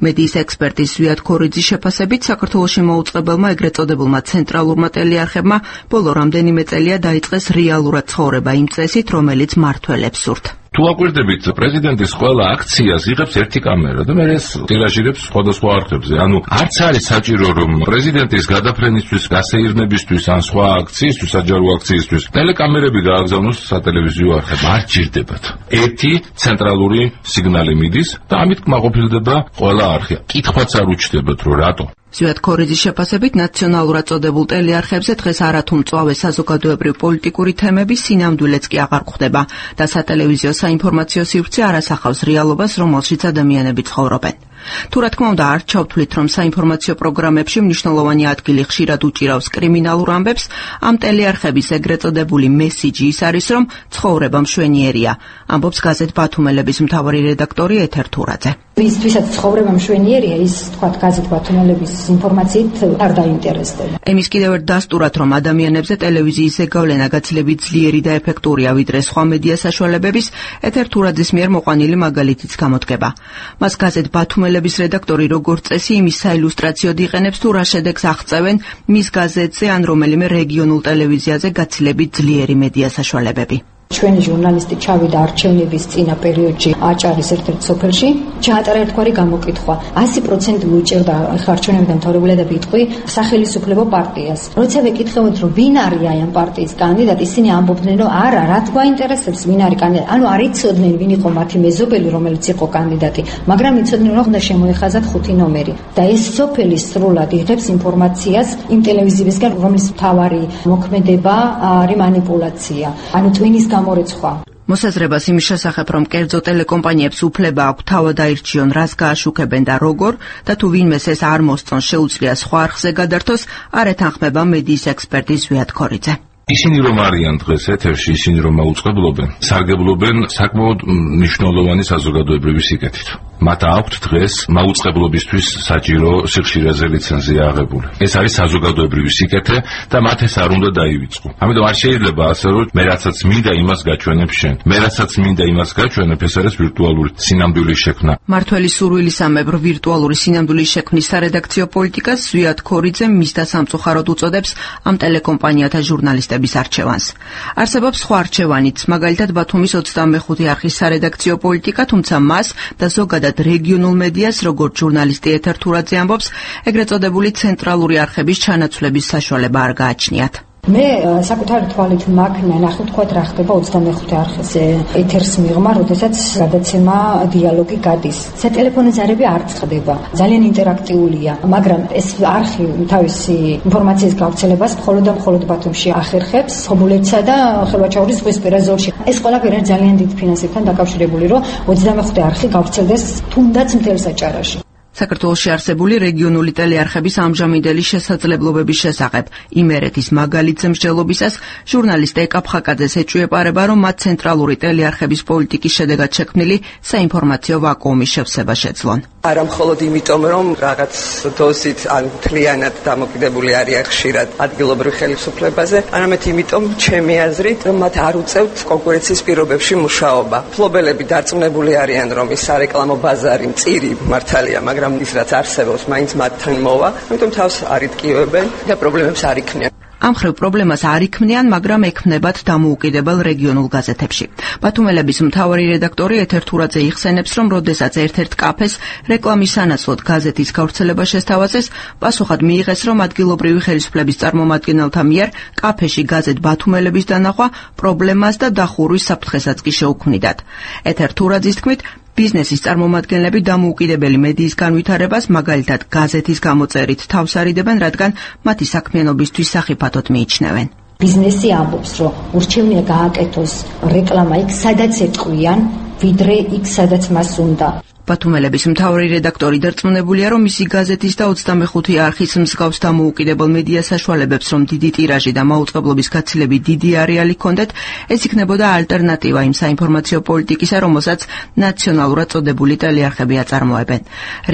მედიის ექსპერტის ზვიად ქორიძის შეფასებით, საქართველოს საქართველოში მოუწყებელმა ეგრეთ წოდებულმა ცენტრალურმა ტელეარხებმა ბოლო რამდენიმე წელია დაიწყეს რეალურად ცხოვრება იმ წესით, რომელიც მართველებს სურთ. თუ აკვირდებით პრეზიდენტის ყველა აქციას იღებს ერთი კამერა და მე ეს ტირაჟირებს სხვადასხვა არხებზე. ანუ არც არის საჭირო რომ პრეზიდენტის გადაფრენისთვის, გასეირნებისთვის ან სხვა აქციისთვის, საჯარო აქციისთვის ტელეკამერები გააგზავნოს სატელევიზიო არხებმა. არ ჭირდებათ. ერთი ცენტრალური სიგნალი მიდის და ამით კმაყოფილდება ყველა არხი. კითხვაც არ უჩნდებათ რომ რატო. ზვიად ქორიძის შეფასებით ნაციონალურად წოდებულ ტელეარხებზე დღეს არათუ მწვავე საზოგადოებრივ-პოლიტიკური თემები სინამდვილეც კი აღარ გვხვდება და სატელევიზიო საინფორმაციო სივრცე არ ასახავს რეალობას, რომელშიც ადამიანები ცხოვრობენ. თუ რა თქმა უნდა არ ჩავთვლით, რომ საინფორმაციო პროგრამებში მნიშვნელოვანი ადგილი ხშირად უჭირავს კრიმინალურ ამბებს, ამ ტელეარხების ეგრეთ წოდებული მესიჯი ის არის, რომ ცხოვრება მშვენიერია, ამბობს გაზეთ ბათუმელების მთავარი რედაქტორი ეთერ თურაძე. ვისაც ცხოვრება მშვენიერია, ის თქვა გაზეთ ბათუმელების ინფორმაციით არ დაინტერესდება. ემის კიდევ ერთ დასტურად, რომ ადამიანებზე ტელევიზიის ზეგავლენა გაცილებით ძლიერი და ეფექტურია ვიდრე სხვა მედია საშუალებების, ეთერ თურაძის მიერ მოყვანილი მაგალითიც გამოდგება. მას გაზეთ ბათუმელების რედაქტორი როგორც წესი იმის საილუსტრაციოდ იყენებს, თუ რა შედეგს აღწევენ მის გაზეთზე ან რომელიმე რეგიონულ ტელევიზიაზე გაცილებით ძლიერი მედია საშუალებები. ჩვენი ჟურნალისტი ჩავიდა არჩევნების წინა პერიოდში აჭარის ერთ-ერთ სოფელში, ჩაატარა ერთგვარი გამოკითხვა. 100% უჭერდა არჩევნებიდან დამთავრებულად და ბიტყვი სახელმწიფო პარტიას. როცა ვეკითხებოდ, რომ ვინ არის აი ამ პარტიის კანდიდატი, ისინი ამბობდნენ, რომ არა, რა გვაინტერესებს ვინ არის კანდიდატი. ანუ არ იცოდნენ ვინ იყო მათი მეზობელი, რომელიც იყო კანდიდატი, მაგრამ იცოდნენ, რომ უნდა შემოეხაზათ 5 ნომერი. და ეს სოფელი სრულად იღებს ინფორმაციას იმ ტელევიზიებისგან, რომლის მთავარი მოქმედება არის манипуляция. ანუ ტვინის გამორეცხვა. მოსაზრებას იმის შესახებ, რომ კერძო ტელეკომპანიებს უფლება აქვს თავად აირჩიონ, რას გააშუქებენ და როგორ, და თუ ვინმეს ეს არ მოსწონს, შეუძლია სხვა არხზე გადართოს, არ ეთანხმება მედიის ექსპერტი ზვიად ქორიძე. ისინი რომ არიან დღეს ეთერში, ისინი რომ მაუწყებლობენ, სარგებლობენ საკმაოდ მნიშვნელოვანი საზოგადოებრივი სიკეთით. მათ აქვთ დღეს მაუწყებლობისთვის საჭირო სიხშირეზე ლიცენზია აღებული. ეს არის საზოგადოებრივი სიკეთე და მათ ეს არ უნდა დაივიწყო. ამიტომ არ შეიძლება ასე რომ მე რასაც მინდა იმას გაჩვენებ შენ. მე რასაც მინდა იმას გაჩვენებ, ეს არის ვირტუალური სინამდვილის შექმნა. მართველი სურვილისამებრ ვირტუალური სინამდვილის შექმნის სარედაქციო პოლიტიკას ზვიად ქორიძე მისთა სამწუხაროდ უწოდებს ამ ტელეკომპანიათა ჟურნალისტების არჩევანს. არსებობს სხვა არჩევანიც, მაგალითად ბათუმის 25 არხის სარედაქციო პოლიტიკა, თუმცა მას და ზოგადად რეგიონულ მედიას, როგორც ჟურნალისტი ეთერ თურაძე ამბობს, ეგრეთ წოდებული ცენტრალური არხების ჩანაცვლების საშუალება არ გააჩნიათ. მე საკუთარი თვალით მაგნა ნახე თქვათ რა ხდება 25 არხის ეთერს მიღმა, როდესაც გადაცემა დიალოგი გადის. სატელეფონო ზარები არ წყდება. ძალიან ინტერაქტიულია, მაგრამ ეს არხი თავისი ინფორმაციის გავრცელებას მხოლოდ და მხოლოდ ბათუმში ახერხებს, ხობულეთსა და ხელვაჩაურის ზღვისპირა ზოლში. ეს ყველაფერი ძალიან დიდ ფინანსებთან დაკავშირებული, რომ 25 არხი გავრცელდეს თუნდაც მთელ საჭარაში. საქართველოში არსებული რეგიონული ტელეარხების ამჟამინდელი შესაძლებლობების შესახებ იმერეთის მაგალითზე მსჯელობისას ჟურნალისტ ეკა ფხაკაძეს ეჭვიეპარება, რომ მათ ცენტრალური ტელეარხების პოლიტიკის შედეგად შექმნილი საინფორმაციო ვაკუუმის შევსება შეძლონ. არა მხოლოდ იმიტომ, რომ რაღაც დოზით ან მთლიანად დამოკიდებული არიან ხშირად ადგილობრივ ხელისუფლებაზე, არამედ იმიტომ, ჩემი აზრით, რომ მათ არ უწევთ კონკურენციის პირობებში მუშაობა. მფლობელები დარწმუნებული არიან, რომ ის სარეკლამო ბაზარი მწირი მართალია, მაგრამ ის რაც არსებობს, მაინც მათთან მოვა, ამიტომ თავს არ იტკივებენ და პრობლემებს არ იქნიან. ამ ხრივ პრობლემას არ იქმნიან, მაგრამ ექმნებათ დამოუკიდებელ რეგიონულ გაზეთებში. ბათუმელების მთავარი რედაქტორი ეთერ თურაძე იხსენებს, რომ როდესაც ერთ-ერთ კაფეს რეკლამის სანაცვლოდ გაზეთის გავრცელება შესთავაზეს, პასუხად მიიღეს, რომ ადგილობრივი ხელისუფლების წარმომადგენელთა მიერ კაფეში გაზეთ ბათუმელების დანახვა პრობლემას და დახურვის საფრთხესაც კი შეუქმნიდათ. ეთერ თურაძის თქმით, ბიზნესის წარმომადგენლები დამოუკიდებელი მედიის განვითარებას, მაგალითად გაზეთის გამოწერით თავს არიდებენ, რადგან მათი საქმიანობისთვის სახიფათოდ მიიჩნევენ. ბიზნესი ამბობს, რომ ურჩევნია გააკეთოს რეკლამა იქ, სადაც ეტყვიან, ვიდრე იქ, სადაც მას უნდა. ბათუმელების მთავარი რედაქტორი დარწმუნებულია, რომ მისი გაზეთის და 25 არხის მსგავს დამოუკიდებელ მედია საშუალებებს, რომ დიდი ტირაჟი და მაუწყებლობის გაცილებით დიდი არეალი ჰქონდეთ, ეს იქნებოდა ალტერნატივა იმ საინფორმაციო პოლიტიკისა, რომელსაც ნაციონალურად წოდებული ტელეარხები აწარმოებენ.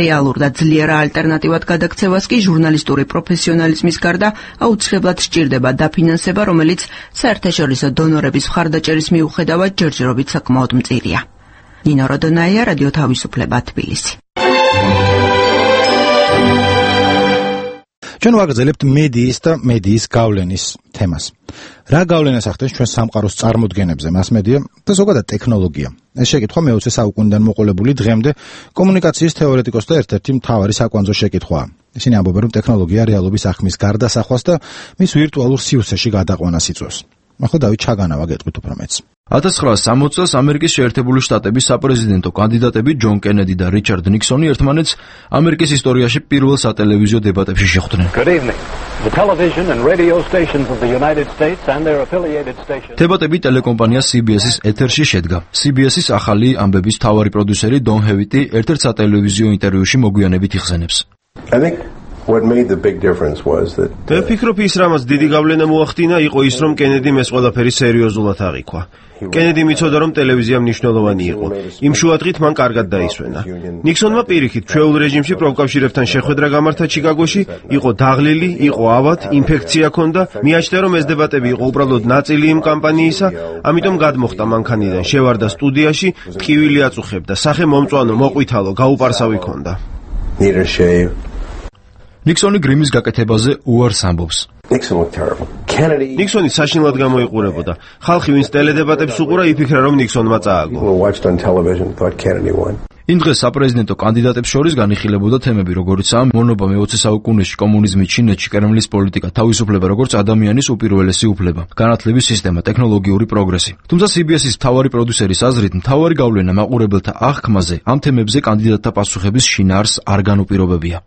რეალურ და ძლიერ ალტერნატივად გადაქცევას კი ჟურნალისტური პროფესიონალიზმის გარდა აუცილებლად სჭირდება დაფინანსება, რომელიც საერთაშორისო დონორების მხარდაჭერის მიუხედავად ჯერჯერობით საკმაოდ მწირია. ნინო როდონაია, რადიო თავისუფლება, თბილისი. ჩვენ ვაგრძელებთ მედიის და მედიის გავლენის თემას. რა გავლენას ახდენს ჩვენ სამყაროს წარმოდგენებზე მასმედია და ზოგადად ტექნოლოგია? ეს შეკითხვა მე-20 საუკუნიდან მოყოლებული დღემდე კომუნიკაციის თეორეტიკოსთა ერთ-ერთი მთავარი საკვანძო შეკითხვაა. ისინი ამბობენ, რომ ტექნოლოგია რეალობის ახმის გარდასახვას და მის ვირტუალურ სივრცეში გადაყვანას იწვევს. ახლა დავით ჩაგანავა გეტყვით უფრო მეც. 1960 წელს ამერიკის შეერთებული შტატების საპრეზიდენტო კანდიდატები ჯონ კენედი და რიჩარდ ნიქსონი ერთმანეთს ამერიკის ისტორიაში პირველ სატელევიზიო დებატებში შეხვდნენ. დებატები ტელეკომპანია CBS-ის ეთერში შედგა. CBS-ის ახალი ამბების მთავარი პროდიუსერი დონ ჰევიტი ერთ-ერთ სატელევიზიო ინტერვიუში მოგვიანებით იხსენებს. What made the big difference was that ვფიქრობ ის რამაც დიდი გავლენა მოახდინა იყო ის რომ კენედიმ ეს ყველაფერი სერიოზულად აღიქვა. კენედი მიცოდა რომ ტელევიზია მნიშვნელოვანი იყო. იმ შუადღით მან კარგად დაისვენა. ნიქსონმა პირიქით ჩვეულ რეჟიმში პროფკავშირებთან შეხვედრა გამართა ჩიკაგოში, იყო დაღლილი, იყო ავად, ინფექცია ჰქონდა, მიაჩნდა რომ ეს დებატები იყო უბრალოდ ნაწილი იმ კამპანიისა, ამიტომ გადმოხდა მანქანიდან, შევარდა სტუდიაში, ტყივილი აწუხებდა, სახე მომწვანო, მოყვითალო, გაუპარსავი ჰქონდა. ნიქსონი გრიმის გაკეთებაზე უარს ამბობს. ნიქსონი საშინლად გამოიყურებოდა. ხალხი ვინც ტელედებატებს უყურა, იფიქრა რომ ნიქსონმა წააგო. იმ დღეს საპრეზიდენტო კანდიდატებს შორის განიხილებოდა თემები, როგორიცაა მონობა მე-20 საუკუნეში, კომუნიზმი ჩინეთში, კრემლის პოლიტიკა, თავისუფლება როგორც ადამიანის უპირველესი უფლება, განათლების სისტემა, ტექნოლოგიური პროგრესი. თუმცა CBS-ის მთავარი პროდიუსერის აზრით, მთავარი გავლენა მაყურებელთა აღქმაზე ამ თემებზე კანდიდატთა პასუხების შინაარსს არ განუპირობებია.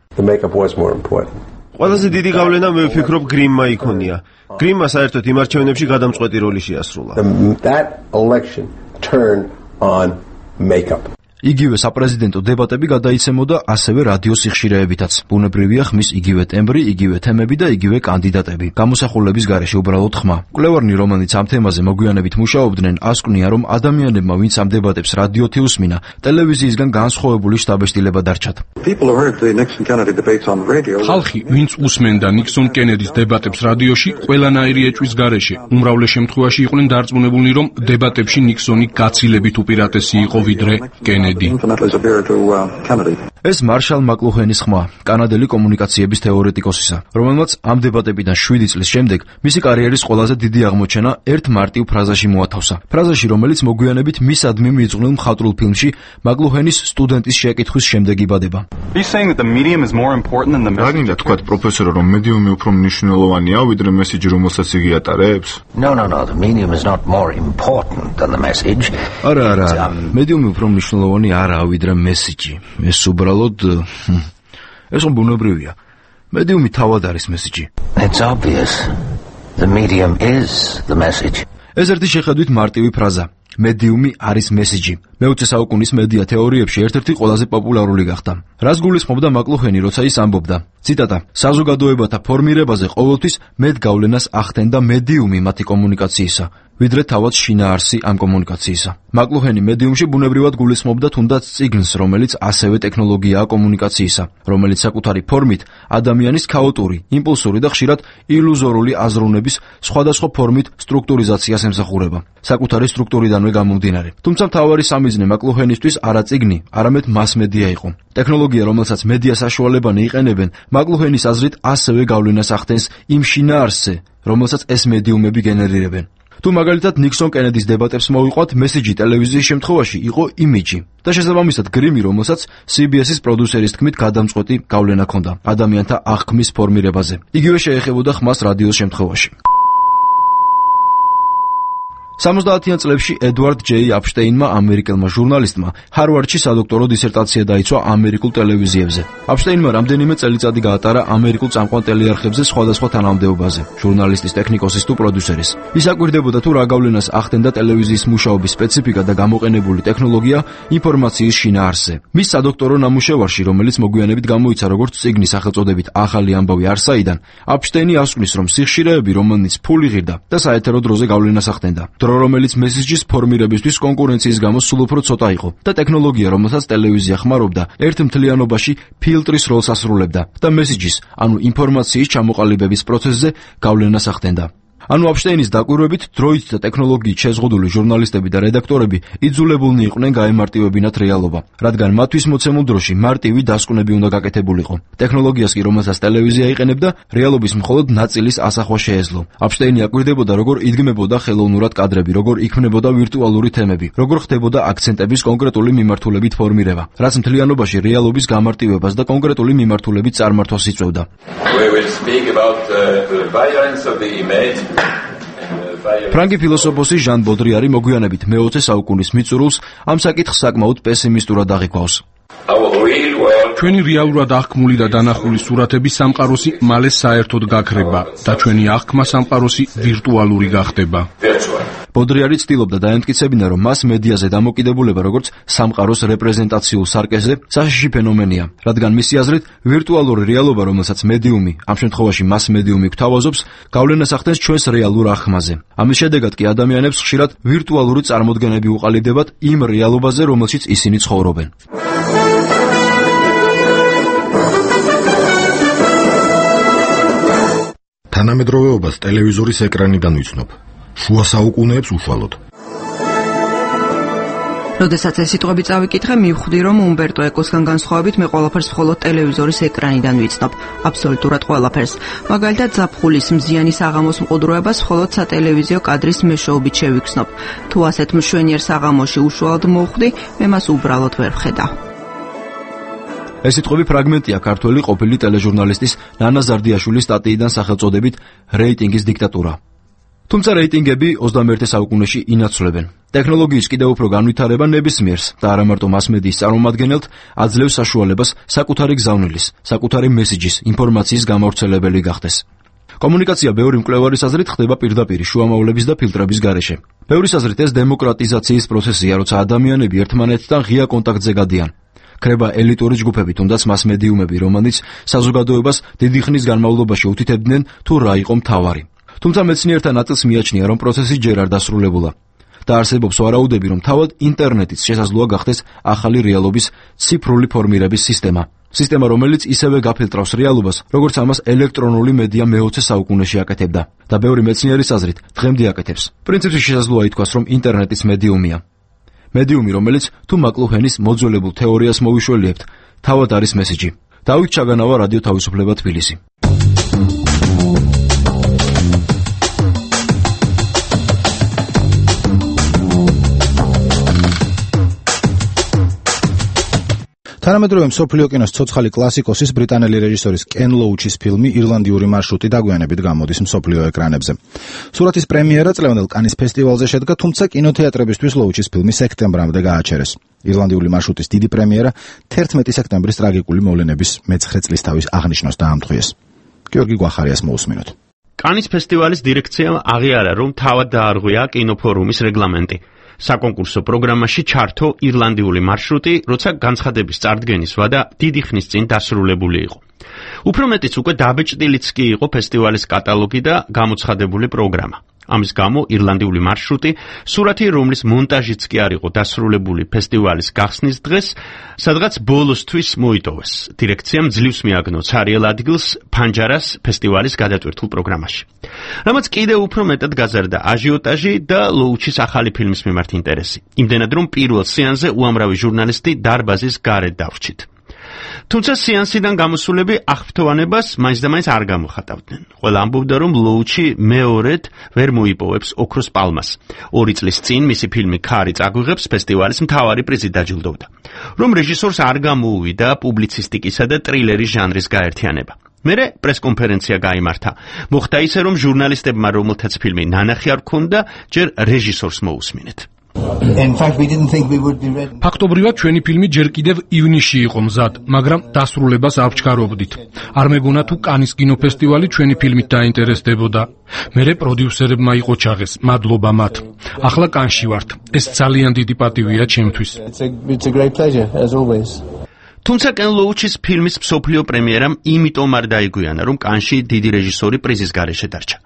ყველაზე დიდი გავლენა მე ვფიქრობ გრიმმა იქონია. გრიმმა საერთოდ იმ არჩევნებში გადამწყვეტი როლი შეასრულა. იგივე საპრეზიდენტო დებატები გადაიცემოდა ასევე რადიო სიხშირეებითაც. ბუნებრივია ხმის იგივე ტემბრი, იგივე თემები და იგივე კანდიდატები. გამოსახულების გარეშე უბრალოდ ხმა. კვლევარნი, რომელნიც ამ თემაზე მოგვიანებით მუშაობდნენ, ასკვნია, რომ ადამიანებმა, ვინც ამ დებატებს რადიოთი უსმინა, ტელევიზიისგან განსხვავებული შთაბეჭდილება დარჩათ. ხალხი, ვინც უსმენდა ნიქსონ კენედის დებატებს რადიოში, ყველანაირი ეჭვის გარეშე, უმრავლეს შემთხვევაში იყვნენ დარწმუნებულნი, რომ დებატებში ნიქსონი გაცილებით უპირატესი იყო ვიდრე კენედი. ეს მარშალ მაკლუჰენის ხმა, კანადელი კომუნიკაციების თეორეტიკოსისა, რომელმაც ამ დებატებიდან 7 წლის შემდეგ მისი კარიერის ყველაზე დიდი აღმოჩენა ერთ მარტივ ფრაზაში მოათავსა. ფრაზაში, რომელიც მოგვიანებით მისადმი მიძღვნილ მხატვრულ ფილმში მაკლუჰენის სტუდენტის შეკითხვის შემდეგ იბადება. რა გინდა თქვათ პროფესორო, რომ მედიუმი უფრო მნიშვნელოვანია ვიდრე მესიჯი, რომელსაც იგი ატარებს? არა, მედიუმი უფრო მნიშვნელოვანი არაა ვიდრე მესიჯი. ეს უბრალოდ ეს ბუნებრივია. მედიუმი თავად არის მესიჯი. ეს ერთი შეხედვით მარტივი ფრაზა. მედიუმი არის მესიჯი. მე-20 საუკუნის მედია თეორიებში ერთ-ერთი ყველაზე პოპულარული გახდა. რას გულისხმობდა მაკლუჰენი, როცა ის ამბობდა? ციტატა: საზოგადოებათა ფორმირებაზე ყოველთვის მეტ გავლენას ახდენდა მედიუმი მათი კომუნიკაციისა, ვიდრე თავად შინაარსი ამ კომუნიკაციისა. მაკლუჰენი მედიუმში ბუნებრივად გულისხმობდა თუნდაც წიგნს, რომელიც ასევე ტექნოლოგიაა კომუნიკაციისა, რომელიც საკუთარი ფორმით ადამიანის ქაოტური, იმპულსური და ხშირად ილუზორული აზროვნების სხვადასხვა ფორმით სტრუქტურიზაციას ემსახურება, საკუთარი სტრუქტურიდანვე გამომდინარე. თუმცა მთავარი სამიზნე მაკლუჰენისთვის არა წიგნი, არამედ მასმედია იყო. ტექნოლოგია, რომელსაც მედია საშუალებანი იყენებენ, მაკლუჰენის აზრით ასევე გავლენას ახდენს იმ შინაარსზე, რომელსაც ეს მედიუმები გენერირებენ. თუ მაგალითად ნიქსონ კენედის დებატებს მოვიყვათ, მესიჯი ტელევიზიის შემთხვევაში იყო იმიჯი და შესაბამისად გრიმი, რომელსაც CBS-ის პროდიუსერის თქმით გადამწყვეტი გავლენა ჰქონდა ადამიანთა აღქმის ფორმირებაზე. იგივე შეეხებოდა ხმას რადიოს შემთხვევაში. 70-იან წლებში ედვარდ ჯეი აპშტეინმა, ამერიკელმა ჟურნალისტმა, ჰარვარდში სადოქტორო დისერტაცია დაიცვა ამერიკულ ტელევიზიებზე. აპშტეინმა რამდენიმე წელიწადი გაატარა ამერიკულ წამყვან ტელეარხებზე სხვადასხვა თანამდებობაზე, ჟურნალისტის, ტექნიკოსის თუ პროდიუსერის. ის აკვირდებოდა თუ რა გავლენას ახდენდა ტელევიზიის მუშაობის სპეციფიკა და გამოყენებული ტექნოლოგია ინფორმაციის შინაარსზე. მის სადოქტორო ნამუშევარში, რომელიც მოგვიანებით გამოიცა როგორც წიგნის სახელწოდებით ახალი ამბავი არსაიდან, აპშტეინი ასკვნის, რომ სიხშირეები, რომელნიც ფული ღირდა და საეთერო დროზე გავლენას ახდენდა. დრო, რომელიც მესიჯის ფორმირებისთვის კონკურენციის გამო სულ უფრო ცოტა იყო და ტექნოლოგია, რომელსაც ტელევიზია ხმარობდა, ერთ მთლიანობაში ფილტრის როლს ასრულებდა და მესიჯის, ანუ ინფორმაციის ჩამოყალიბების პროცესზე გავლენას ახდენდა. ანუ აპშტეინის დაკვირვებით დროით და ტექნოლოგიით შეზღუდული ჟურნალისტები და რედაქტორები იძულებულნი იყვნენ გაემარტივებინათ რეალობა, რადგან მათთვის მოცემულ დროში მარტივი დასკვნები უნდა გაკეთებულიყო. ტექნოლოგიას კი რომელსაც ტელევიზია იყენებდა, რეალობის მხოლოდ ნაწილის ასახვა შეეძლო. აპშტეინი აკვირდებოდა, როგორ იდგმებოდა ხელოვნურად კადრები, როგორ იქმნებოდა ვირტუალური თემები, როგორ ხდებოდა აქცენტების კონკრეტული მიმართულებით ფორმირება, რაც მთლიანობაში რეალობის გამარტივებას და კონკრეტული მიმართულებით წარმართვას იწვევდა. ფრანგი ფილოსოფოსი ჟან ბოდრიარი მოგვიანებით მე-20 საუკუნის მიწურულს ამ საკითხს საკმაოდ პესიმისტურად აღიქვავს. ჩვენი რეალურად აღქმული და დანახული სურათების სამყაროსი მალე საერთოდ გაქრება და ჩვენი აღქმა სამყაროსი ვირტუალური გახდება. ბოდრიარი ცდილობდა დაემტკიცებინა, რომ მას მედიაზე დამოკიდებულება როგორც სამყაროს რეპრეზენტაციულ სარკეზე საშიში ფენომენია, რადგან მისი აზრით ვირტუალური რეალობა, რომელსაც მედიუმი, ამ შემთხვევაში მას მედიუმი გვთავაზობს, გავლენას ახდენს ჩვენს რეალურ აღქმაზე. ამის შედეგად კი ადამიანებს ხშირად ვირტუალური წარმოდგენები უყალიბდებათ იმ რეალობაზე, რომელშიც ისინი ცხოვრობენ. თანამედროვეობას ტელევიზორის ეკრანიდან ვიცნობ. შუა საუკუნეებს უშუალოდ. როდესაც ეს სიტყვები წავიკითხე, მივხვდი, რომ უმბერტო ეკოსგან განსხვავებით მე ყველაფერს მხოლოდ ტელევიზორის ეკრანიდან ვიცნობ, აბსოლუტურად ყველაფერს. მაგალითად, ზაფხულის მზიანი საღამოს მყუდროებას მხოლოდ სატელევიზიო კადრის მეშვეობით შევიქმნობ. თუ ასეთ მშვენიერ საღამოში უშუალოდ მოვხვდი, მე მას უბრალოდ ვერ ვხედავ. ეს სიტყვები ფრაგმენტია ქართველი ყოფილი ტელეჟურნალისტის ნანა ზარდიაშვილის სტატიიდან სახელწოდებით რეიტინგის დიქტატურა. თუმცა რეიტინგები 21 საუკუნეში ინაცვლებენ. ტექნოლოგიის კიდევ უფრო განვითარება ნებისმიერს და არა მარტო მასმედიის წარმომადგენელთ აძლევს საშუალებას საკუთარი გზავნილის, საკუთარი მესიჯის, ინფორმაციის გამავრცელებელი გახდეს. კომუნიკაცია ბევრი მკვლევარის აზრით ხდება პირდაპირ შუამავლების და ფილტრების გარეშე. ბევრის აზრით ეს დემოკრატიზაციის პროცესია, როცა ადამიანები ერთმანეთთან ღია კონტაქტზე გადიან. ქრება ელიტური ჯგუფები, თუნდაც მასმედიუმები, რომანიც საზოგადოებას დიდი ხნის განმავლობაში უთითებდნენ თუ რა იყო მთავარი. თუმცა მეცნიერთა ნაწილს მიაჩნია, რომ პროცესი ჯერ არ დასრულებულა და არსებობს ვარაუდები, რომ თავად ინტერნეტიც შესაძლოა გახდეს ახალი რეალობის ციფრული ფორმირების სისტემა. სისტემა, რომელიც ისევე გაფილტრავს რეალობას, როგორც ამას ელექტრონული მედია მე-20 საუკუნეში აკეთებდა და ბევრი მეცნიერის აზრით დღემდე აკეთებს. პრინციპში შესაძლოა ითქვას, რომ ინტერნეტიც მედიუმია. მედიუმი, რომელიც თუ მაკლუჰენის მოძველებულ თეორიას მოვიშველიებთ, თავად არის მესიჯი. დავით ჩაგანავა, რადიო თავისუფლება, თბილისი. თანამედროვე მსოფლიო კინოს ცოცხალი კლასიკოსის ბრიტანელი რეჟისორის კენ ლოუჩის ფილმი ირლანდიური მარშრუტი დაგვიანებით გამოდის მსოფლიო ეკრანებზე. სურათის პრემიერა წლევანდელ კანის ფესტივალზე შედგა, თუმცა კინოთეატრებისთვის ლოუჩის ფილმი სექტემბრამდე გააჩერეს. ირლანდიური მარშრუტის დიდი პრემიერა 11 სექტემბრის ტრაგიკული მოვლენების მე-9 წლისთავის აღნიშვნას დაამტყვიეს. გიორგი გვახარიას მოусმინოთ. კანის ფესტივალის დირექციამ აღიარა, რომ თავად დაარღვია კინოფორუმის რეგლამენტი. საკონკურსო პროგრამაში ჩართო ირლანდიული მარშრუტი, როცა განცხადების წარდგენის ვადა დიდი ხნის წინ დასრულებული იყო. უფრო მეტიც უკვე დაბეჭდილიც კი იყო ფესტივალის კატალოგი და გამოცხადებული პროგრამა. ამის გამო ირლანდიული მარშრუტი, სურათი რომლის მონტაჟიც კი არ იყო დასრულებული ფესტივალის გახსნის დღეს, სადღაც ბოლოსთვის მოიტოვეს. დირექციამ ძლივს მიაგნო ცარიელ ადგილს ფანჯარას ფესტივალის გადატვირთულ პროგრამაში. რამაც კიდევ უფრო მეტად გაზარდა აჟიოტაჟი და ლოუჩის ახალი ფილმის მიმართ ინტერესი. იმდენად, რომ პირველ სეანსზე უამრავი ჟურნალისტი დარბაზის გარეთ დავრჩით. თუმცა სეანსიდან გამოსულები აღფრთოვანებას მაინც და მაინც არ გამოხატავდნენ. ყველა ამბობდა, რომ ლოუჩი მეორედ ვერ მოიპოვებს ოქროს პალმას. 2 წლის წინ მისი ფილმი ქარი წაგვიღებს ფესტივალის მთავარი პრიზით დაჯილდოვდა. რომ რეჟისორს არ გამოუვიდა პუბლიცისტიკისა და ტრილერის ჟანრის გაერთიანება. მერე პრესკონფერენცია გაიმართა. მოხდა ისე, რომ ჟურნალისტებმა, რომელთაც ფილმი ნანახი არ ჰქონდა, ჯერ რეჟისორს მოусმინეთ. ფაქტობრივად ჩვენი ფილმი ჯერ კიდევ ივნისში იყო მზად, მაგრამ დასრულებას არ ვჩქარობდით. არ მეგონა თუ კანის კინოფესტივალი ჩვენი ფილმით დაინტერესდებოდა. მერე პროდიუსერებმა იყო ჩაღეს, მადლობა მათ. ახლა კანში ვართ. ეს ძალიან დიდი პატივია ჩემთვის. თუმცა კენ ლოუჩის ფილმის მსოფლიო პრემიერამ იმიტომ არ დაიგვიანა, რომ კანში დიდი რეჟისორი პრიზის გარეშე დარჩა.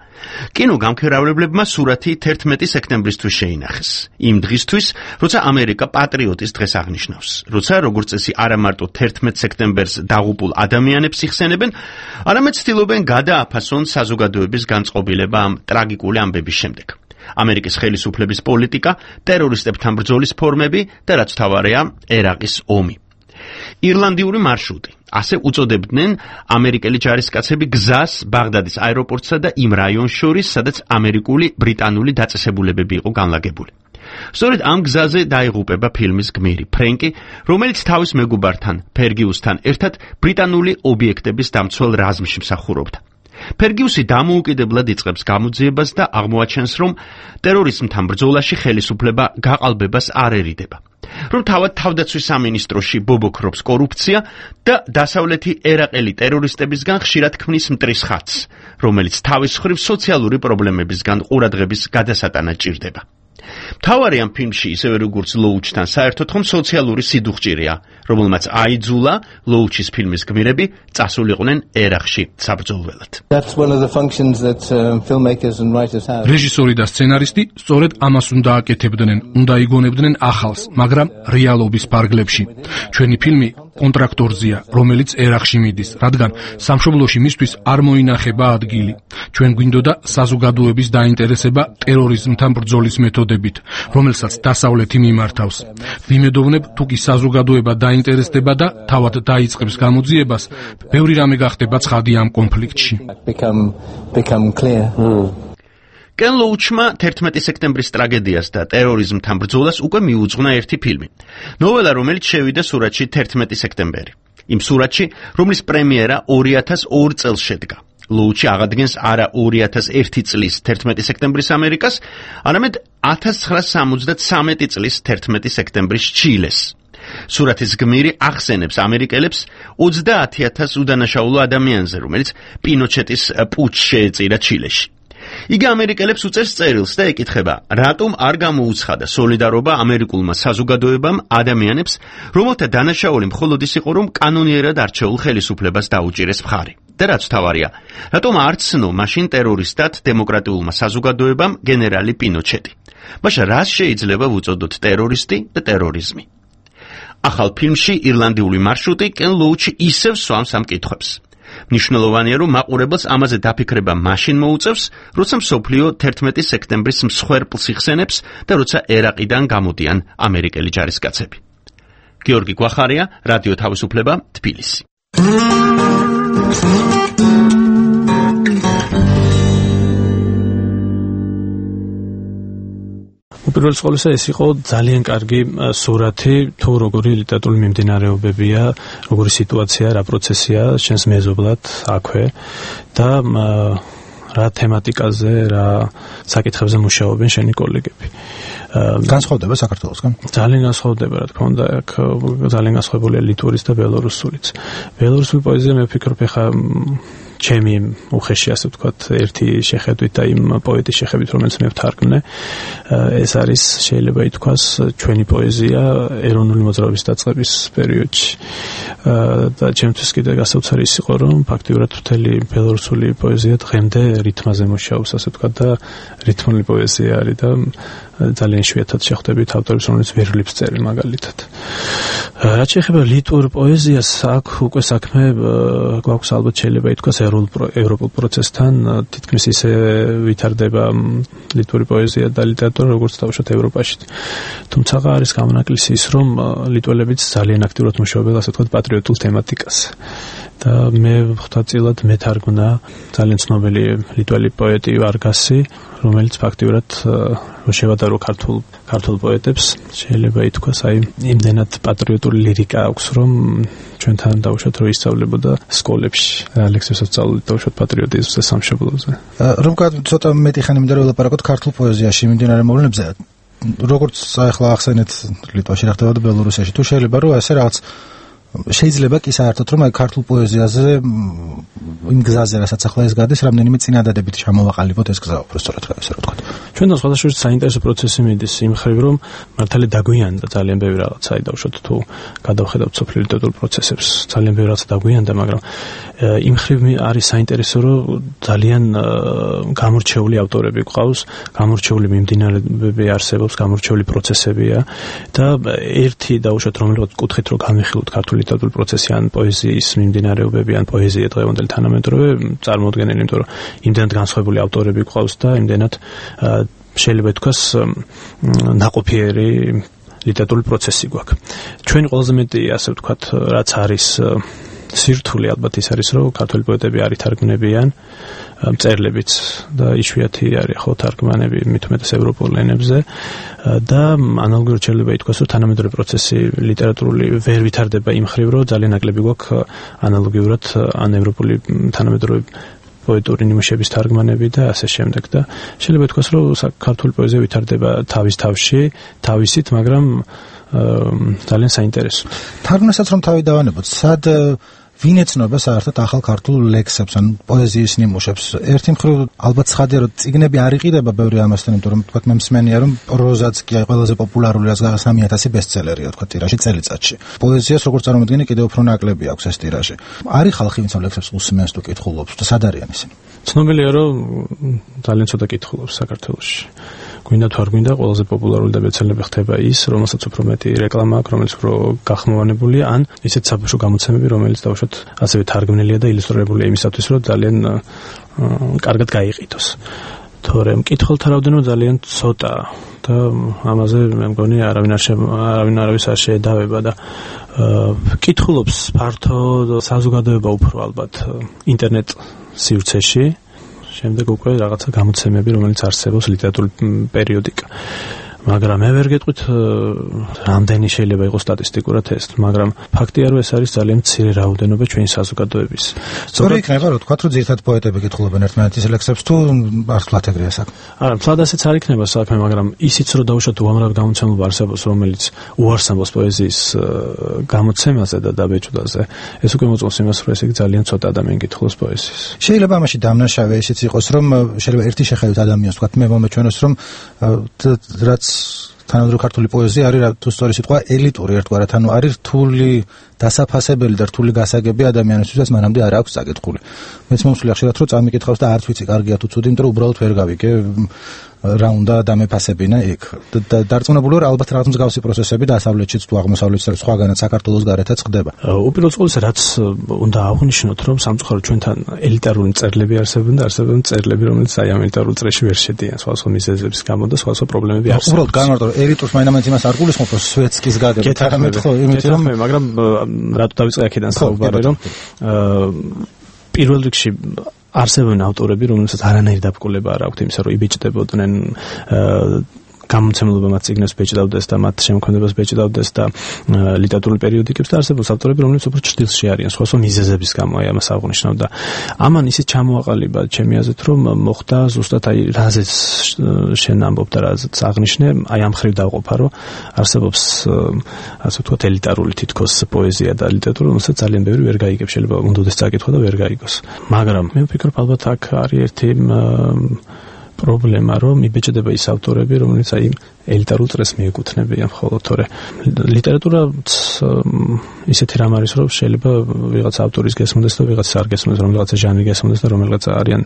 კინო გამქერავლებლებმა სურათი 11 სექტემბრისთვის შეინახეს. იმ დღისთვის, როცა ამერიკა პატრიოტის დღეს აღნიშნავს. როცა როგორც წესი არა მარტო 11 სექტემბერს დაღუპულ ადამიანებს იხსენებენ, არამედ ცდილობენ გადააფასონ საზოგადოების განწყობილება ამ ტრაგიკული ამბების შემდეგ. ამერიკის ხელისუფლების პოლიტიკა, ტერორისტებთან ბრძოლის ფორმები და რაც თავარია, ერაყის ომი. ირლანდიური მარშრუტი. ასე უწოდებდნენ ამერიკელი ჯარისკაცები გზას ბაღდადის აეროპორტსა და იმ რაიონს შორის, სადაც ამერიკული ბრიტანული დაწესებულებები იყო განლაგებული. სწორედ ამ გზაზე დაიღუპება ფილმის გმირი ფრენკი, რომელიც თავის მეგობართან ფერგიუსთან ერთად ბრიტანული ობიექტების დამცველ რაზმში მსახურობდა. ფერგიუსი დამოუკიდებლად იწყებს გამოძიებას და აღმოაჩენს, რომ ტერორიზმთან ბრძოლაში ხელისუფლება გაყალბებას არ ერიდება. რომ თავად თავდაცვის სამინისტროში ბობოქრობს კორუფცია და დასავლეთი ერაყელი ტერორისტებისგან ხშირად ქმნის მტრის ხატს, რომელიც თავის მხრივ სოციალური პრობლემებისგან ყურადღების გადასატანად ჭირდება. მთავარი ამ ფილმში, ისევე როგორც ლოუჩთან, საერთოდ ხომ სოციალური სიდუხჭირია, რომელმაც აიძულა ლოუჩის ფილმის გმირები წასულიყვნენ ერაყში საბრძოლველად. რეჟისორი და სცენარისტი სწორედ ამას უნდა აკეთებდნენ, უნდა იგონებდნენ ახალს, მაგრამ რეალობის ფარგლებში. ჩვენი ფილმი კონტრაქტორზია, რომელიც ერაყში მიდის, რადგან სამშობლოში მისთვის არ მოინახება ადგილი. ჩვენ გვინდოდა საზოგადოების დაინტერესება ტერორიზმთან ბრძოლის მეთოდებით, რომელსაც დასავლეთი მიმართავს. ვიმედოვნებ, თუ კი საზოგადოება დაინტერესდება და თავად დაიწყებს გამოძიებას, ბევრი რამე გახდება ცხადი ამ კონფლიქტში. კენ ლოუჩმა 11 სექტემბრის ტრაგედიას და ტერორიზმთან ბრძოლას უკვე მიუძღვნა ერთი ფილმი. ნოველა, რომელიც შევიდა სურათში 11 სექტემბერი. იმ სურათში, რომლის პრემიერა 2002 წელს შედგა. ლოუჩი აღადგენს არა 2001 წლის 11 სექტემბრის ამერიკას, არამედ 1973 წლის 11 სექტემბრის ჩილეს. სურათის გმირი ახსენებს ამერიკელებს 30,000 უდანაშაულო ადამიანზე, რომელიც პინოჩეტის პუტჩს შეეწირა ჩილეში. იგი ამერიკელებს უწევს წერილს და ეკითხება, რატომ არ გამოუცხადა სოლიდარობა ამერიკულმა საზოგადოებამ ადამიანებს, რომელთა დანაშაული მხოლოდ ის იყო, რომ კანონიერად არჩეულ ხელისუფლებას დაუჭირეს მხარი. და რაც თავარია, რატომ არ ცნო მაშინ ტერორისტად დემოკრატიულმა საზოგადოებამ გენერალი პინოჩეტი. მაშინ რას შეიძლება ვუწოდოთ ტერორისტი და ტერორიზმი? ახალ ფილმში ირლანდიული მარშრუტი კენ ლოუჩი ისევ სვამს ამ კითხვებს. მნიშვნელოვანია, რომ მაყურებელს ამაზე დაფიქრება მაშინ მოუწევს, როცა მსოფლიო 11 სექტემბრის მსხვერპლს იხსენებს და როცა ერაყიდან გამოდიან ამერიკელი ჯარისკაცები. გიორგი გვახარია, რადიო თავისუფლება, თბილისი. უპირველეს ყოვლისა, ეს იყო ძალიან კარგი სურათი, თუ როგორი ლიტერატურული მიმდინარეობებია, როგორი სიტუაცია, რა პროცესია შენს მეზობლად აქვე და რა თემატიკაზე, რა საკითხებზე მუშაობენ შენი კოლეგები. განსხვავდება საქართველოსგან? ძალიან განსხვავდება, რა თქმა უნდა, აქ ძალიან განსხვავებულია ლიტვურის და ბელორუსულიც. ბელორუსული პოეზია, მე ვფიქრობ, ეხა ჩემი უხეში, ასე ვთქვათ, ერთი შეხედვით და იმ პოეტის შეხედვით, რომელიც მე ვთარგმნე, ეს არის, შეიძლება ითქვას, ჩვენი პოეზია ეროვნული მოძრაობის დაწყების პერიოდში. და ჩემთვის კიდე გასაოცარი ის იყო, რომ ფაქტიურად მთელი ბელორუსული პოეზია დღემდე რითმაზე მუშაობს, ასე ვთქვათ, და რითმული პოეზია არის და ძალიან იშვიათად შეხვდებით ავტორებს, რომელიც ვერლებს წერენ მაგალითად. რაც შეეხება ლიტვურ პოეზიას, აქ უკვე საქმე გვაქვს ალბათ შეიძლება ითქვას ევროპულ პროცესთან, თითქმის ისე ვითარდება ლიტვური პოეზია და ლიტერატურა, როგორც თავშოთ ევროპაში. თუმცა არის გამონაკლისი ის, რომ ლიტველებიც ძალიან აქტიურად მუშაობენ, ასე ვთქვათ, პატრიოტულ თემატიკაზე. და მე ხვდაწილად მეთარგმნა ძალიან ცნობილი ლიტველი პოეტი ვარგასი, რომელიც ფაქტიურად შევადარო ქართულ პოეტებს, შეიძლება ითქვას, აი იმდენად პატრიოტული ლირიკა აქვს, რომ ჩვენთან დავუშვათ, რომ ისწავლებოდა სკოლებში, ლექსებს სწავლობთ დავუშვათ პატრიოტიზმზე, სამშობლოზე. რომ ცოტა მეტი ხანი მინდა ვილაპარაკოთ ქართულ პოეზიაში მიმდინარე მოვლენებზე, როგორც ახლა ახსენეთ ლიტვაში რა ხდებოდა ბელორუსიაში, თუ შეიძლება რომ ასე რაღაც შეიძლება კი საერთოდ რომ აი ქართულ პოეზიაზე იმ გზაზე, რასაც ახლა ეს გადის, რამდენიმე წინადადებით ჩამოვაყალიბოთ ეს გზა, უბრალოდ სწორად რა ესე რა ვთქვათ. ჩვენთან სხვადასხვა საინტერესო პროცესი მიდის იმ ხრივ, რომ მართალი დაგვიანდა ძალიან ბევრი რაღაცა, დაუშვათ თუ გადავხედავთ სოფლიო ლიტერატურულ პროცესებს, ძალიან ბევრი რაღაცა დაგვიანდა, მაგრამ იმ ხრივ არის საინტერესო, რომ ძალიან გამორჩეული ავტორები გვყავს, გამორჩეული მიმდინარეობები არსებობს, გამორჩეული პროცესებია და ერთი დაუშვათ რომელიღაც კუთხით რო განვიხილოთ ქართული ლიტერატურული პროცესი ან პოეზიის მიმდინარეობები ან პოეზია დღევანდელი თანამედროვე წარმოუდგენელი, იმიტომ რომ იმდენად განსხვავებული ავტორები გვყავს და იმდენად შეიძლება ითქვას ნაყოფიერი ლიტერატურული პროცესი გვაქვს. ჩვენი ყველაზე მეტი ასე ვთქვათ, რაც არის სირთულე ალბათ ის არის, რომ ქართული პოეტები არ ითარგმნებიან მწერლებიც და იშვიათი არის ხო თარგმანები მით უმეტეს ევროპულ ენებზე და ანალოგიურად შეიძლება ითქვას, რომ თანამედროვე პროცესი ლიტერატურული ვერ ვითარდება იმ ხრივ, რომ ძალიან ნაკლები გვაქვს ანალოგიურად ან ევროპული თანამედროვე პოეტური ნიმუშების თარგმანები და ასე შემდეგ და შეიძლება ითქვას, რომ ქართული პოეზია ვითარდება თავის თავში, თავისით, მაგრამ ძალიან საინტერესო. თარგმნასაც რომ თავი დავანებოთ, სად ვინ ეცნობა საერთოდ ახალ ქართულ ლექსებს ან პოეზიის ნიმუშებს? ერთი მხრივ ალბათ ცხადია, რომ წიგნები არ იყიდება ბევრი ამასთან, იმიტომ რომ თქვათ მე მსმენია, რომ პროზაც კი აი ყველაზე პოპულარული რაც 3000 ბესტსელერია თქვათ ტირაჟი წელიწადში. პოეზიას როგორც წარმოვიდგინე კიდევ უფრო ნაკლები აქვს ეს ტირაჟი. არის ხალხი, ვინც ამ ლექსებს უსმენს თუ კითხულობს და სად არიან ისინი? ცნობილია, რომ ძალიან ცოტა კითხულობს საქართველოში. გვინდა თუ არ გვინდა, ყველაზე პოპულარული და ბესტსელერი ხდება ის, რომელსაც უფრო მეტი რეკლამა აქვს, რომელიც უფრო გახმოვანებულია, ან ისეთ საბავშვო გამოცემები, რომელიც დავუშვათ ასევე თარგმნილია და ილუსტრირებულია იმისათვის, რომ ძალიან კარგად გაიყიდოს. თორემ მკითხველთა რაოდენობა ძალიან ცოტაა და ამაზე მე მგონი არავის არ შეედავება და კითხულობს ფართო საზოგადოება უფრო ალბათ ინტერნეტ სივრცეში. შემდეგ უკვე რაღაცა გამოცემები, რომელიც არსებობს ლიტერატურული პერიოდიკა. მაგრამ მე ვერ გეტყვით რამდენი შეიძლება იყოს სტატისტიკურად ეს, მაგრამ ფაქტია, რომ ეს არის ძალიან მცირე რაოდენობა ჩვენი საზოგადოების. სწორი იქნება, რომ თქვათ, რომ ძირითადად პოეტები კითხულობენ ერთმანეთის ლექსებს თუ მართლაც ეგრეა საქმე. არა, მართლაც ასეც არ იქნება საქმე, მაგრამ ისიც რომ დაუშვათ უამრავი გამოცემობა არსებობს, რომელიც უარს ამბობს პოეზიის გამოცემაზე და დაბეჭდაზე, ეს უკვე მოწმობს იმას, რომ ეს ძალიან ცოტა ადამიანი კითხულობს პოეზიას. შეიძლება ამაში დამნაშავე ისიც იყოს, რომ შეიძლება ერთი შეხედვით ადამიანს თქვათ მე მომეჩვენოს, რომ რაც თანამედროვე ქართული პოეზია არის თუ სწორი სიტყვა ელიტური ერთგვარად, ანუ არის რთული დასაფასებელი და რთული გასაგები ადამიანისთვისაც მანამდე არ აქვს წაკითხული. მეც მომსვლია ხშირად რომ წამიკითხავს და არც ვიცი კარგია თუ ცუდი, იმიტომ რომ უბრალოდ ვერ გავიგე რა უნდა დამეფასებინა იქ. დარწმუნებული ვარ, ალბათ რაღაც მსგავსი პროცესები დასავლეთშიც თუ აღმოსავლეთშიც სხვაგანაც საქართველოს გარეთაც ხდება. უპირველეს ყოვლისა, რაც უნდა აღვნიშნოთ, რომ სამწუხაროდ ჩვენთან ელიტარული მწერლები არსებობენ და არსებობენ მწერლები, რომელიც აი ამ ელიტარულ წრეში ვერ შედიან სხვადასხვა მიზეზების გამო და სხვადასხვა პრობლემები არსებობს. უბრალოდ განმარტო, ელიტურს მაინც იმას არ გულისხმობ, რომ სვეტსკის გაგებით არამედ ხო, იმით რომ მაგრამ რატო დავიწყე აქედან საუბარი, რომ პირველ რიგში არსებობენ ავტორები, რომელსაც არანაირი დაბკოლება არ აქვთ იმისა, რომ იბეჭდებოდნენ გამოცემულობა მათ წიგნებს ბეჭდავდეს და მათ შემოქმედებას ბეჭდავდეს და ლიტერატურული პერიოდიკებს და არსებობს ავტორები, რომლებიც უფრო ჭრილში არიან სხვადასხვა მიზეზების გამო, აი ამას აღვნიშნავ და ამან ისიც ჩამოაყალიბა ჩემი აზრით, რომ მოხდა ზუსტად აი რაზეც შენ ამბობ და რაზეც აღნიშნე, აი ამ ხრივ დავყოფა, რომ არსებობს ასე ვთქვათ ელიტარული თითქოს პოეზია და ლიტერატურა, რომელსაც ძალიან ბევრი ვერ გაიგებს, შეიძლება უნდადეს წაკითხვა და ვერ გაიგოს. მაგრამ მე ვფიქრობ, ალბათ აქ არის ერთი პრობლემა, რომ იბეჭდება ის ავტორები, რომელიც აი ელიტარულ წრეს მიეკუთვნებიან, ხოლო თორე ლიტერატურა ისეთი რამ არის, რომ შეიძლება ვიღაც ავტორის გესმოდეს და ვიღაც არ გესმოდეს, რომელიღაცა ჟანრი გესმოდეს და რომელიღაცა არიან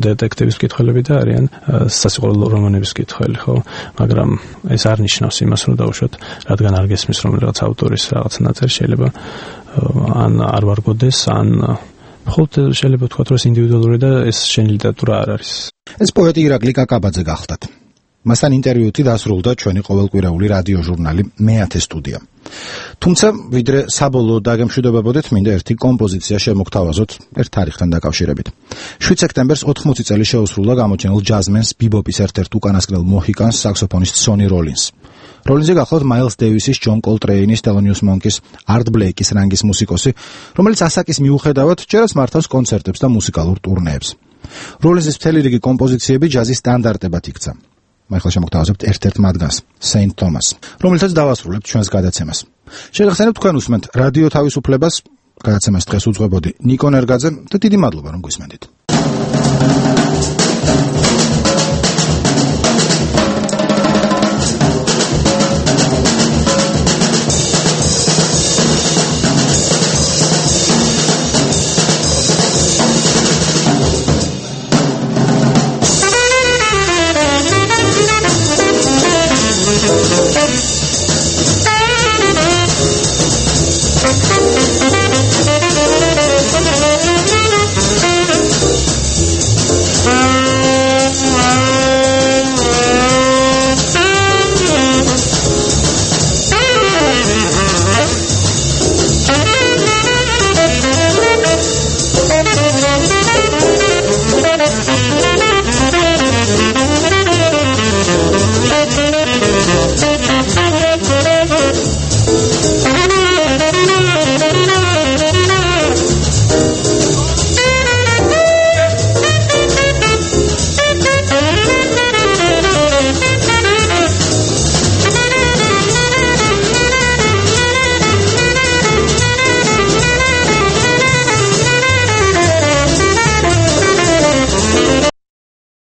დეტექტივის მკითხველები და არიან სასიყვარულო რომანების მკითხველი, ხო? მაგრამ ეს არ ნიშნავს იმას, რომ დაუშვათ, რადგან არ გესმის რომელიღაც ავტორის რაღაც ნაწერი, შეიძლება ან არ ვარგოდეს, ან ხოლმე შეიძლება ვთქვათ, რომ ეს ინდივიდუალური და ეს შენი ლიტერატურა არ არის. ეს პოეტი ირაკლი კაკაბაძე გახლდათ. მასთან ინტერვიუთი დასრულდა ჩვენი ყოველკვირეული რადიო ჟურნალი მე-10 სტუდია. თუმცა, ვიდრე საბოლოო დაგემშვიდობებოდეთ, მინდა ერთი კომპოზიცია შემოგთავაზოთ ერთ თარიღთან დაკავშირებით. 7 სექტემბერს 80 წელი შეუსრულა გამოჩენილ ჯაზმენს ბიბოპის ერთ-ერთ უკანასკნელ მოჰიკანს საქსოფონისტ სონი როლინს. როლინზე გახლავთ მაილს დეივისის, ჯონ კოლტრეინის, თელონიუს მონკის, არტ ბლეიკის რანგის მუსიკოსი, რომელიც ასაკის მიუხედავად ჯერაც მართავს კონცერტებს და მუსიკალურ ტურნეებს. როლინზის მთელი რიგი კომპოზიციები ჯაზის სტანდარტებად იქცა. ახლა შემოგთავაზებთ ერთ-ერთ მათგანს, Saint Thomas, რომელსაც დავასრულებთ ჩვენს გადაცემას. შეგახსენებთ თქვენ უსმენთ რადიო თავისუფლებას, გადაცემას დღეს უძღვებოდი ნიკო ნერგაძე და დიდი მადლობა რომ გვისმენთ.